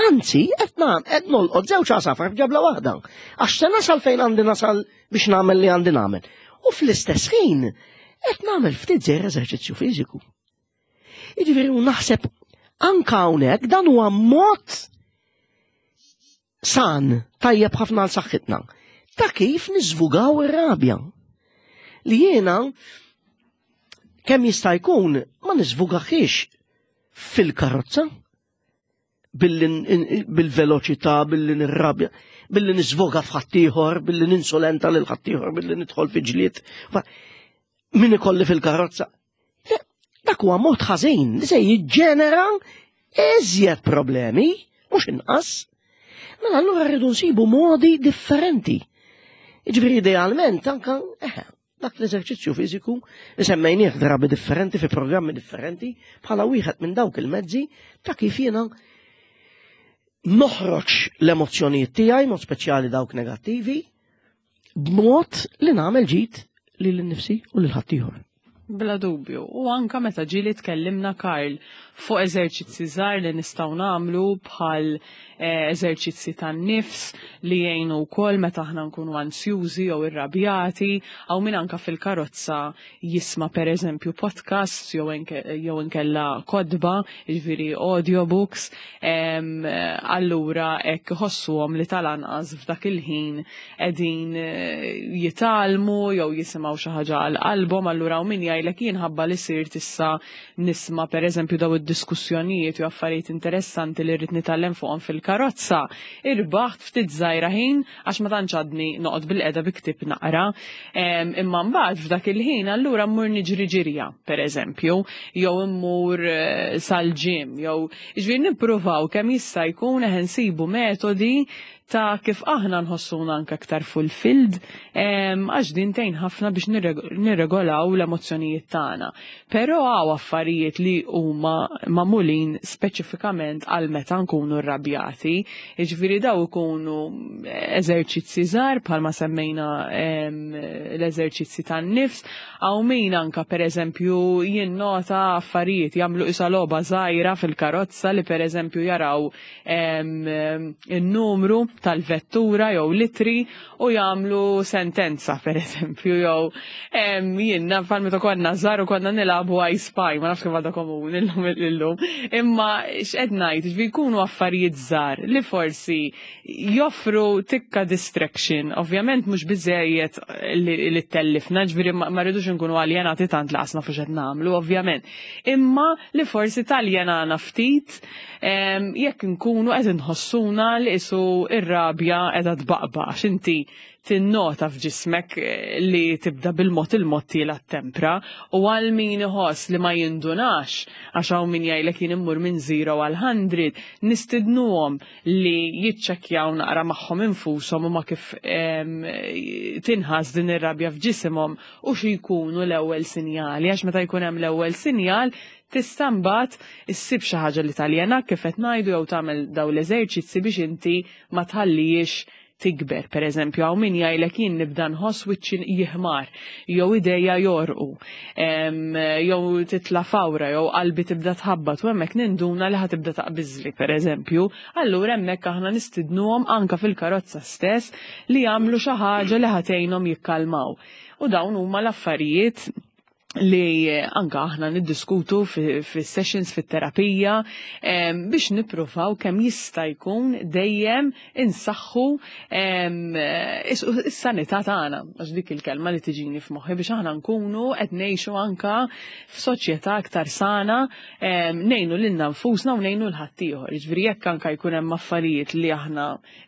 S1: Anzi, qed nagħmel qed nolqot żewġ għasafar f'ġabla waħda. Għax se nasal fejn għandi nasal biex nagħmel li għandi nagħmel. U fl-istess ħin qed nagħmel ftit żejr eżerċizzju fiżiku. Jiġifieri u naħseb anke hawnhekk dan huwa mod san tajjeb ħafna għal saħħitna. Ta' kif niżvugaw ir-rabja. Li jiena kemm jista' jkun ma niżvugaħiex fil-karozza bil-veloċità, billi nirrabja, billi niżvoga f'ħaddieħor, billi ninsolenta lil ħaddieħor, billi nidħol fi ġlied. Min ikolli fil-karozza. Dak huwa mod ħażin li se jiġġenera iżjed problemi, mhux inqas. Mela allura rridu nsibu modi differenti. Jiġifieri idealment anke eh, dak l-eżerċizzju fiżiku li semmejnieh drabi differenti fi programmi differenti bħala wieħed minn dawk il-mezzi ta' kif jiena noħroġ l-emozzjonijiet tiegħi, mod speċjali dawk negattivi, b'mod li nagħmel ġid lil innifsi u lil ħaddieħor.
S2: Bla dubju. U anka meta ġieli tkellimna Karl fuq eżerċizzi żgħar li nistgħu nagħmlu bħal eh, eżerċizzi tan-nifs li jgħinu wkoll meta aħna nkunu ansjużi jew irrabjati, aw min anka fil-karozza jisma' pereżempju podcasts jew jew inkella kotba, jiġifieri audiobooks, em, allura hekk iħossuhom li tal-anqas f'dak il-ħin qegħdin eh, jitgħallmu jew jisimgħu xi ħaġa għal qalbhom, allura hawn min jgħidlek jien ħabba li sirt issa nisma' pereżempju daw id-diskussjonijiet jew affarijiet interessanti li rrid nitgħallem fuqhom fil-karozza, irbaħt ftit żgħira ħin għax ma tantx għadni noqgħod bil-qeda bi ktieb naqra. Imma mbagħad f'dak il-ħin allura mmur niġri ġirja, pereżempju, jew immur eh, sal-gym, jew jiġifieri nippruvaw kemm jista' jkun eħe nsibu metodi ta' kif aħna nħossuna anke aktar fulfilled, għax din tgħin ħafna biex nirregolaw l-emozzjonijiet tagħna. Però hawn affarijiet li huma magħmulin speċifikament għal meta nkunu rrabjati, jiġifieri daw ikunu eżerċizzi żgħar bħalma semmejna l-eżerċizzi tan-nifs, hawn min anka pereżempju jinnota affarijiet jagħmlu isa logħba żgħira fil-karozza li pereżempju jaraw in-numru tal-vettura jew litri u jagħmlu sentenza pereżempju jew jien naf meta konna żgħar u konna nilagħbu I Spy, ma nafx kif għadha komuni illum illum. Imma x'qed ngħid, ġifieri jkunu affarijiet żgħar li forsi joffru tikka distraction. Ovvjament mhux biżejjed li ttellifna, ġifieri ma rridux nkunu aljenati tant li qasna fuq x'qed nagħmlu, ovvjament. Imma li forsi taljenana ftit jekk nkunu qed inħossuna li isu ir-rabja qiegħda tbaqbaq għax inti tinnota f'ġismek li tibda bil-mod il-mod tiela tempra u għal min iħoss li ma jindunax għax hawn min jgħidlek jien immur minn zero għal hundred, nistidnuhom li jiċċekkjaw naqra magħhom infushom u ma kif tinħass din ir-rabja f'ġisimhom u xi jkunu l-ewwel sinjali, għax meta jkun hemm l-ewwel sinjal tista' mbagħad issib xi ħaġa li taljenak kif qed ngħidu jew tagħmel dawn l-eżerċizzi biex inti ma tħallihiex tikber. Per eżempju, hawn min jgħidlek jien nibda nħoss wiċċi jiħmar, jew idejja jorqu, jew titla' fawra, jew qalbi tibda tħabbat, u hemmhekk ninduna li ħa tibda taqbiżli, per eżempju. Allura hemmhekk aħna nistidnuhom anka fil-karozza stess li jagħmlu xi ħaġa li ħa tgħinhom jikkalmaw. U dawn huma l-affarijiet li anka aħna niddiskutu fis-sessions fit-terapija biex nippruvaw kemm jista' jkun dejjem insaħħu is-sanità tagħna, għax dik il-kelma li tiġini f'moħħi, biex aħna nkunu qed ngħixu anka f'soċjetà aktar sana, ngħinu lilna nfusna u ngħinu 'l ħaddieħor. Jiġifieri jekk anka jkun hemm affarijiet li aħna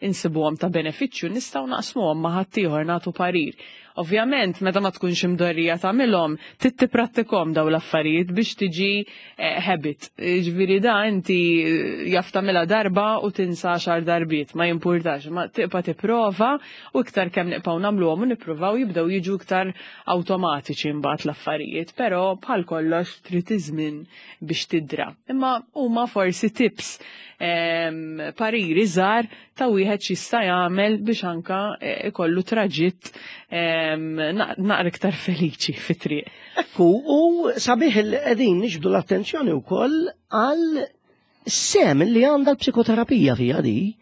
S2: insibuhom ta' benefiċċju nistgħu naqsmuhom ma' ħaddieħor, nagħtu parir. Ovvjament, meta ma tkunx imdorrija tagħmilhom, trid tipprattikhom daw l-affarijiet biex tiġi habit. Ġifieri da inti jaf tagħmilha darba u tinsa għaxar darbiet, ma jimpurtax, ma tibqa' tipprova u iktar kemm nibqgħu nagħmluhom u nippruvaw jibdew jiġu iktar awtomatiċi mbagħad l-affarijiet, però bħal kollox trid iż-żmien biex tidra. Imma huma forsi tips, pariri żgħar ta' wieħed x'jista' jagħmel biex anka ikollu traġitt naqra iktar feliċi fit-triq.
S1: Ekku, u sabiħ il qegħdin niġbdu l-attenzjoni wkoll għal sem li għandha l-psikoterapija fija di.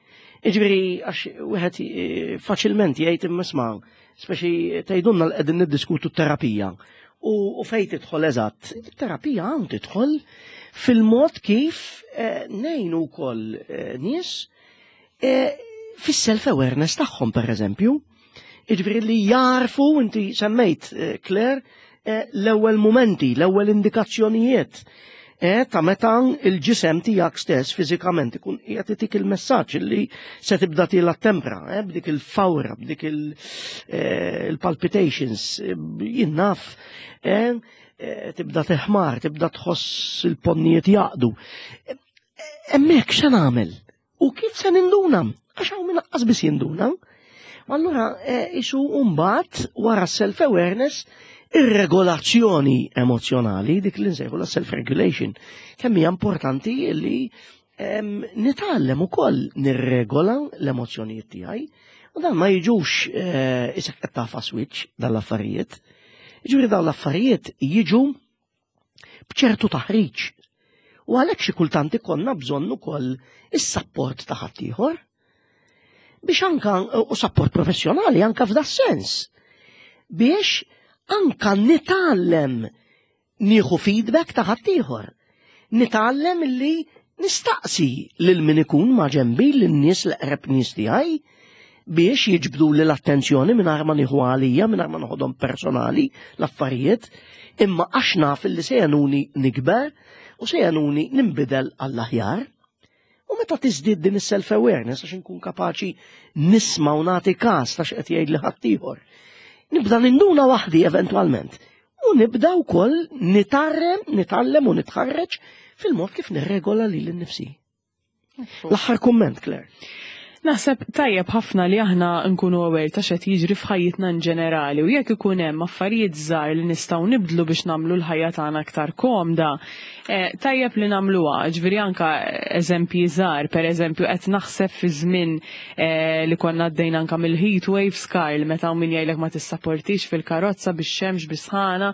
S1: Jiġifieri għax wieħed faċilment jgħid imma isma', speċi tgħidulna li qegħdin niddiskutu t-terapija. U fejn tidħol eżatt, it-terapija hawn tidħol fil-mod kif ngħinu wkoll nies fis-self-awareness tagħhom pereżempju. Jiġifieri li jarfu, inti semmejt, Claire, l-ewwel momenti, l-ewwel indikazzjonijiet ta' meta il-ġisem tiegħek stess fiżikament ikun qiegħed itik il-messaġġ li se tibda tiela tempra, b'dik il-fawra, b'dik il-palpitations, jien naf, tibda teħmar, tibda tħoss il-ponnijiet jaqdu. Hemmhekk x'se nagħmel? U kif se ninduna? Għax hawn min lanqas biss jinduna. Allura isu mbagħad wara self-awareness ir-regolazzjoni emozjonali, dik li nsejħu la self-regulation, kemm hija importanti li nitgħallem ukoll nirregola l-emozzjonijiet tiegħi, u dan ma jiġux isek qed tafa switch dan l-affarijiet. Jiġifieri dawn l-affarijiet jiġu b'ċertu taħriġ. U għalhekk xi kultant ikollna bżonn ukoll is-sapport ta' ħaddieħor biex anka u sapport professjonali anka f'da sens biex anka nitgħallem nieħu feedback ta' ħaddieħor. Nitgħallem li nistaqsi lil min ikun ma' ġenbi, lin-nies l-eqreb nies tiegħi biex jiġbdu li l-attenzjoni mingħajr ma nieħu għalija, mingħajr ma noħodhom personali l-affarijiet. Imma għax naf li se jgħinuni nikber u se jgħinuni nimbidel għall-aħjar. U meta tiżdied din is-self-awareness, għax inkun kapaċi nisma' u nagħti każ ta' x'qed jgħid li ħaddieħor, nibda ninduna waħdi eventwalment. U nibda wkoll nitarrem, nitgħallem u nitħarreġ fil-mod kif nirregola lili nnifsi. L-aħħar kumment, Claire.
S2: Naħseb tajjeb ħafna li aħna nkunu aware ta' x'qed jiġri f'ħajjitna in ġenerali u jekk ikun hemm affarijiet żgħar li nistgħu nibdlu biex nagħmlu l-ħajja tagħna aktar komda, eh, tajjeb li nagħmluha. Ġifieri anka eżempji żgħar, pereżempju qed naħseb fi żmien eh, li konna għaddejna anka mill-heat waves, Karl, meta hawn min jgħidlek ma tissaportix fil-karozza bix-xemx, bis-sħana,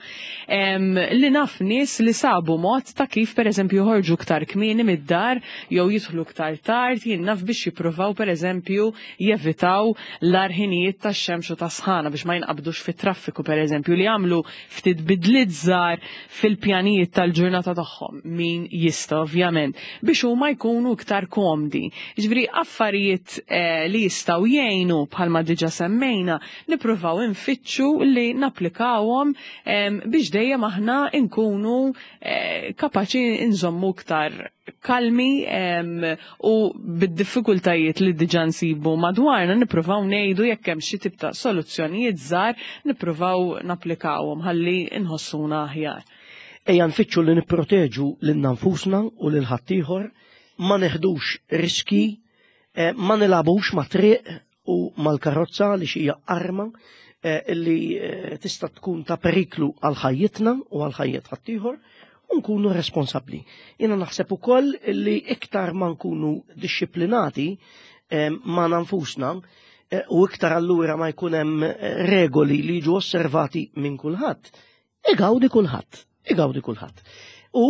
S2: li naf nies li sabu mod ta' kif pereżempju joħorġu iktar kmieni mid-dar jew jidħlu iktar tard, jien naf, biex jippruvaw pereżempju eżempju jevitaw l-ħinijiet ta' xemx u ta' sħana biex ma jinqabdux fit-traffiku pereżempju, li għamlu ftit bidliet żgħar fil-pjanijiet tal-ġurnata tagħhom, min jista' ovvjament, biex huma jkunu iktar komdi. Ġifieri affarijiet eh, li jistgħu jgħinu, bħalma diġà semmejna, nippruvaw infittxu li napplikawhom biex dejjem aħna nkunu eh, kapaċi nżommu iktar kalmi u bid-diffikultajiet li diġà nsibu madwarna nippruvaw ngħidu jekk hemm xi tip ta' soluzzjonijiet żgħar, nippruvaw napplikawhom ħalli nħossuna aħjar.
S1: Ejja nfittxu li nipproteġu lil nfusna u lil ħaddieħor, ma neħdux riski, eh, ma nilagħbux ma' triq u mal-karozza li xija arma eh, illi eh, tista' tkun ta' periklu għal ħajjitna u għal ħajjet ħaddieħor, u nkunu responsabbli. Jiena naħseb ukoll li iktar ma nkunu dixxiplinati ma' nfusna u iktar allura ma jkun hemm regoli li jiġu osservati minn kulħadd, igawdi kulħadd, igawdi kulħadd. U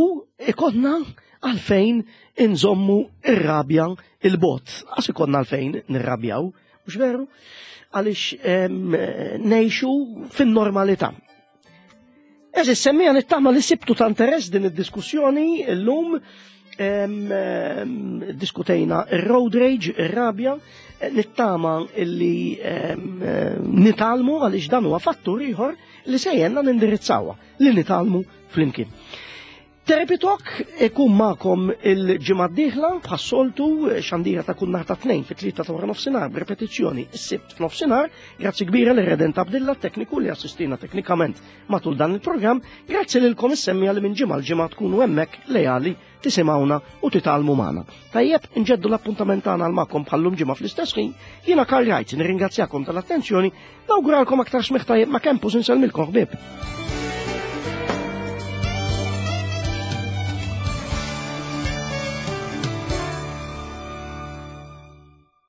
S1: ikollna għalfejn inżommu ir-rabja 'il bogħod. Għax ikollna għalfejn nirrabjaw, mhux veru? Għaliex ngħixu fin-normalità. Għeżież semmiegħa, nittama li sibtu ta' interess din id-diskussjoni l-lum. Diskutejna il-road rage, il-rabja, nittama illi nitgħallmu, għaliex dan huwa fattur ieħor li se jgħinna nindirizzawha, li nitgħallmu flimkien. Therapy Talk ikun magħkom il-ġimgħa d-dieħla bħas-soltu, xandira ta' kull nhar ta' Tnejn fit-tlieta ta' wara nofsinhar, b'repetizzjoni s-Sibt f'nofsinhar. Grazzi kbira lil Redent Abdilla, tekniku li assistina teknikament matul dan il-programm. Grazzi lilkom is-semmiegħa li minn ġimgħa l-ġimgħa tkunu hemmhekk lejali tisimgħuna u titgħallmu magħna. Tajjeb, inġeddu l-appuntament tagħna għal magħkom bħallum ġimgħa fl-istess ħin. Jiena Karl Wright, nirringrazzjakom tal-attenzjoni, nawguralkom aktar smigħ tajjeb ma' Campus. Insellmilkom, ħbieb.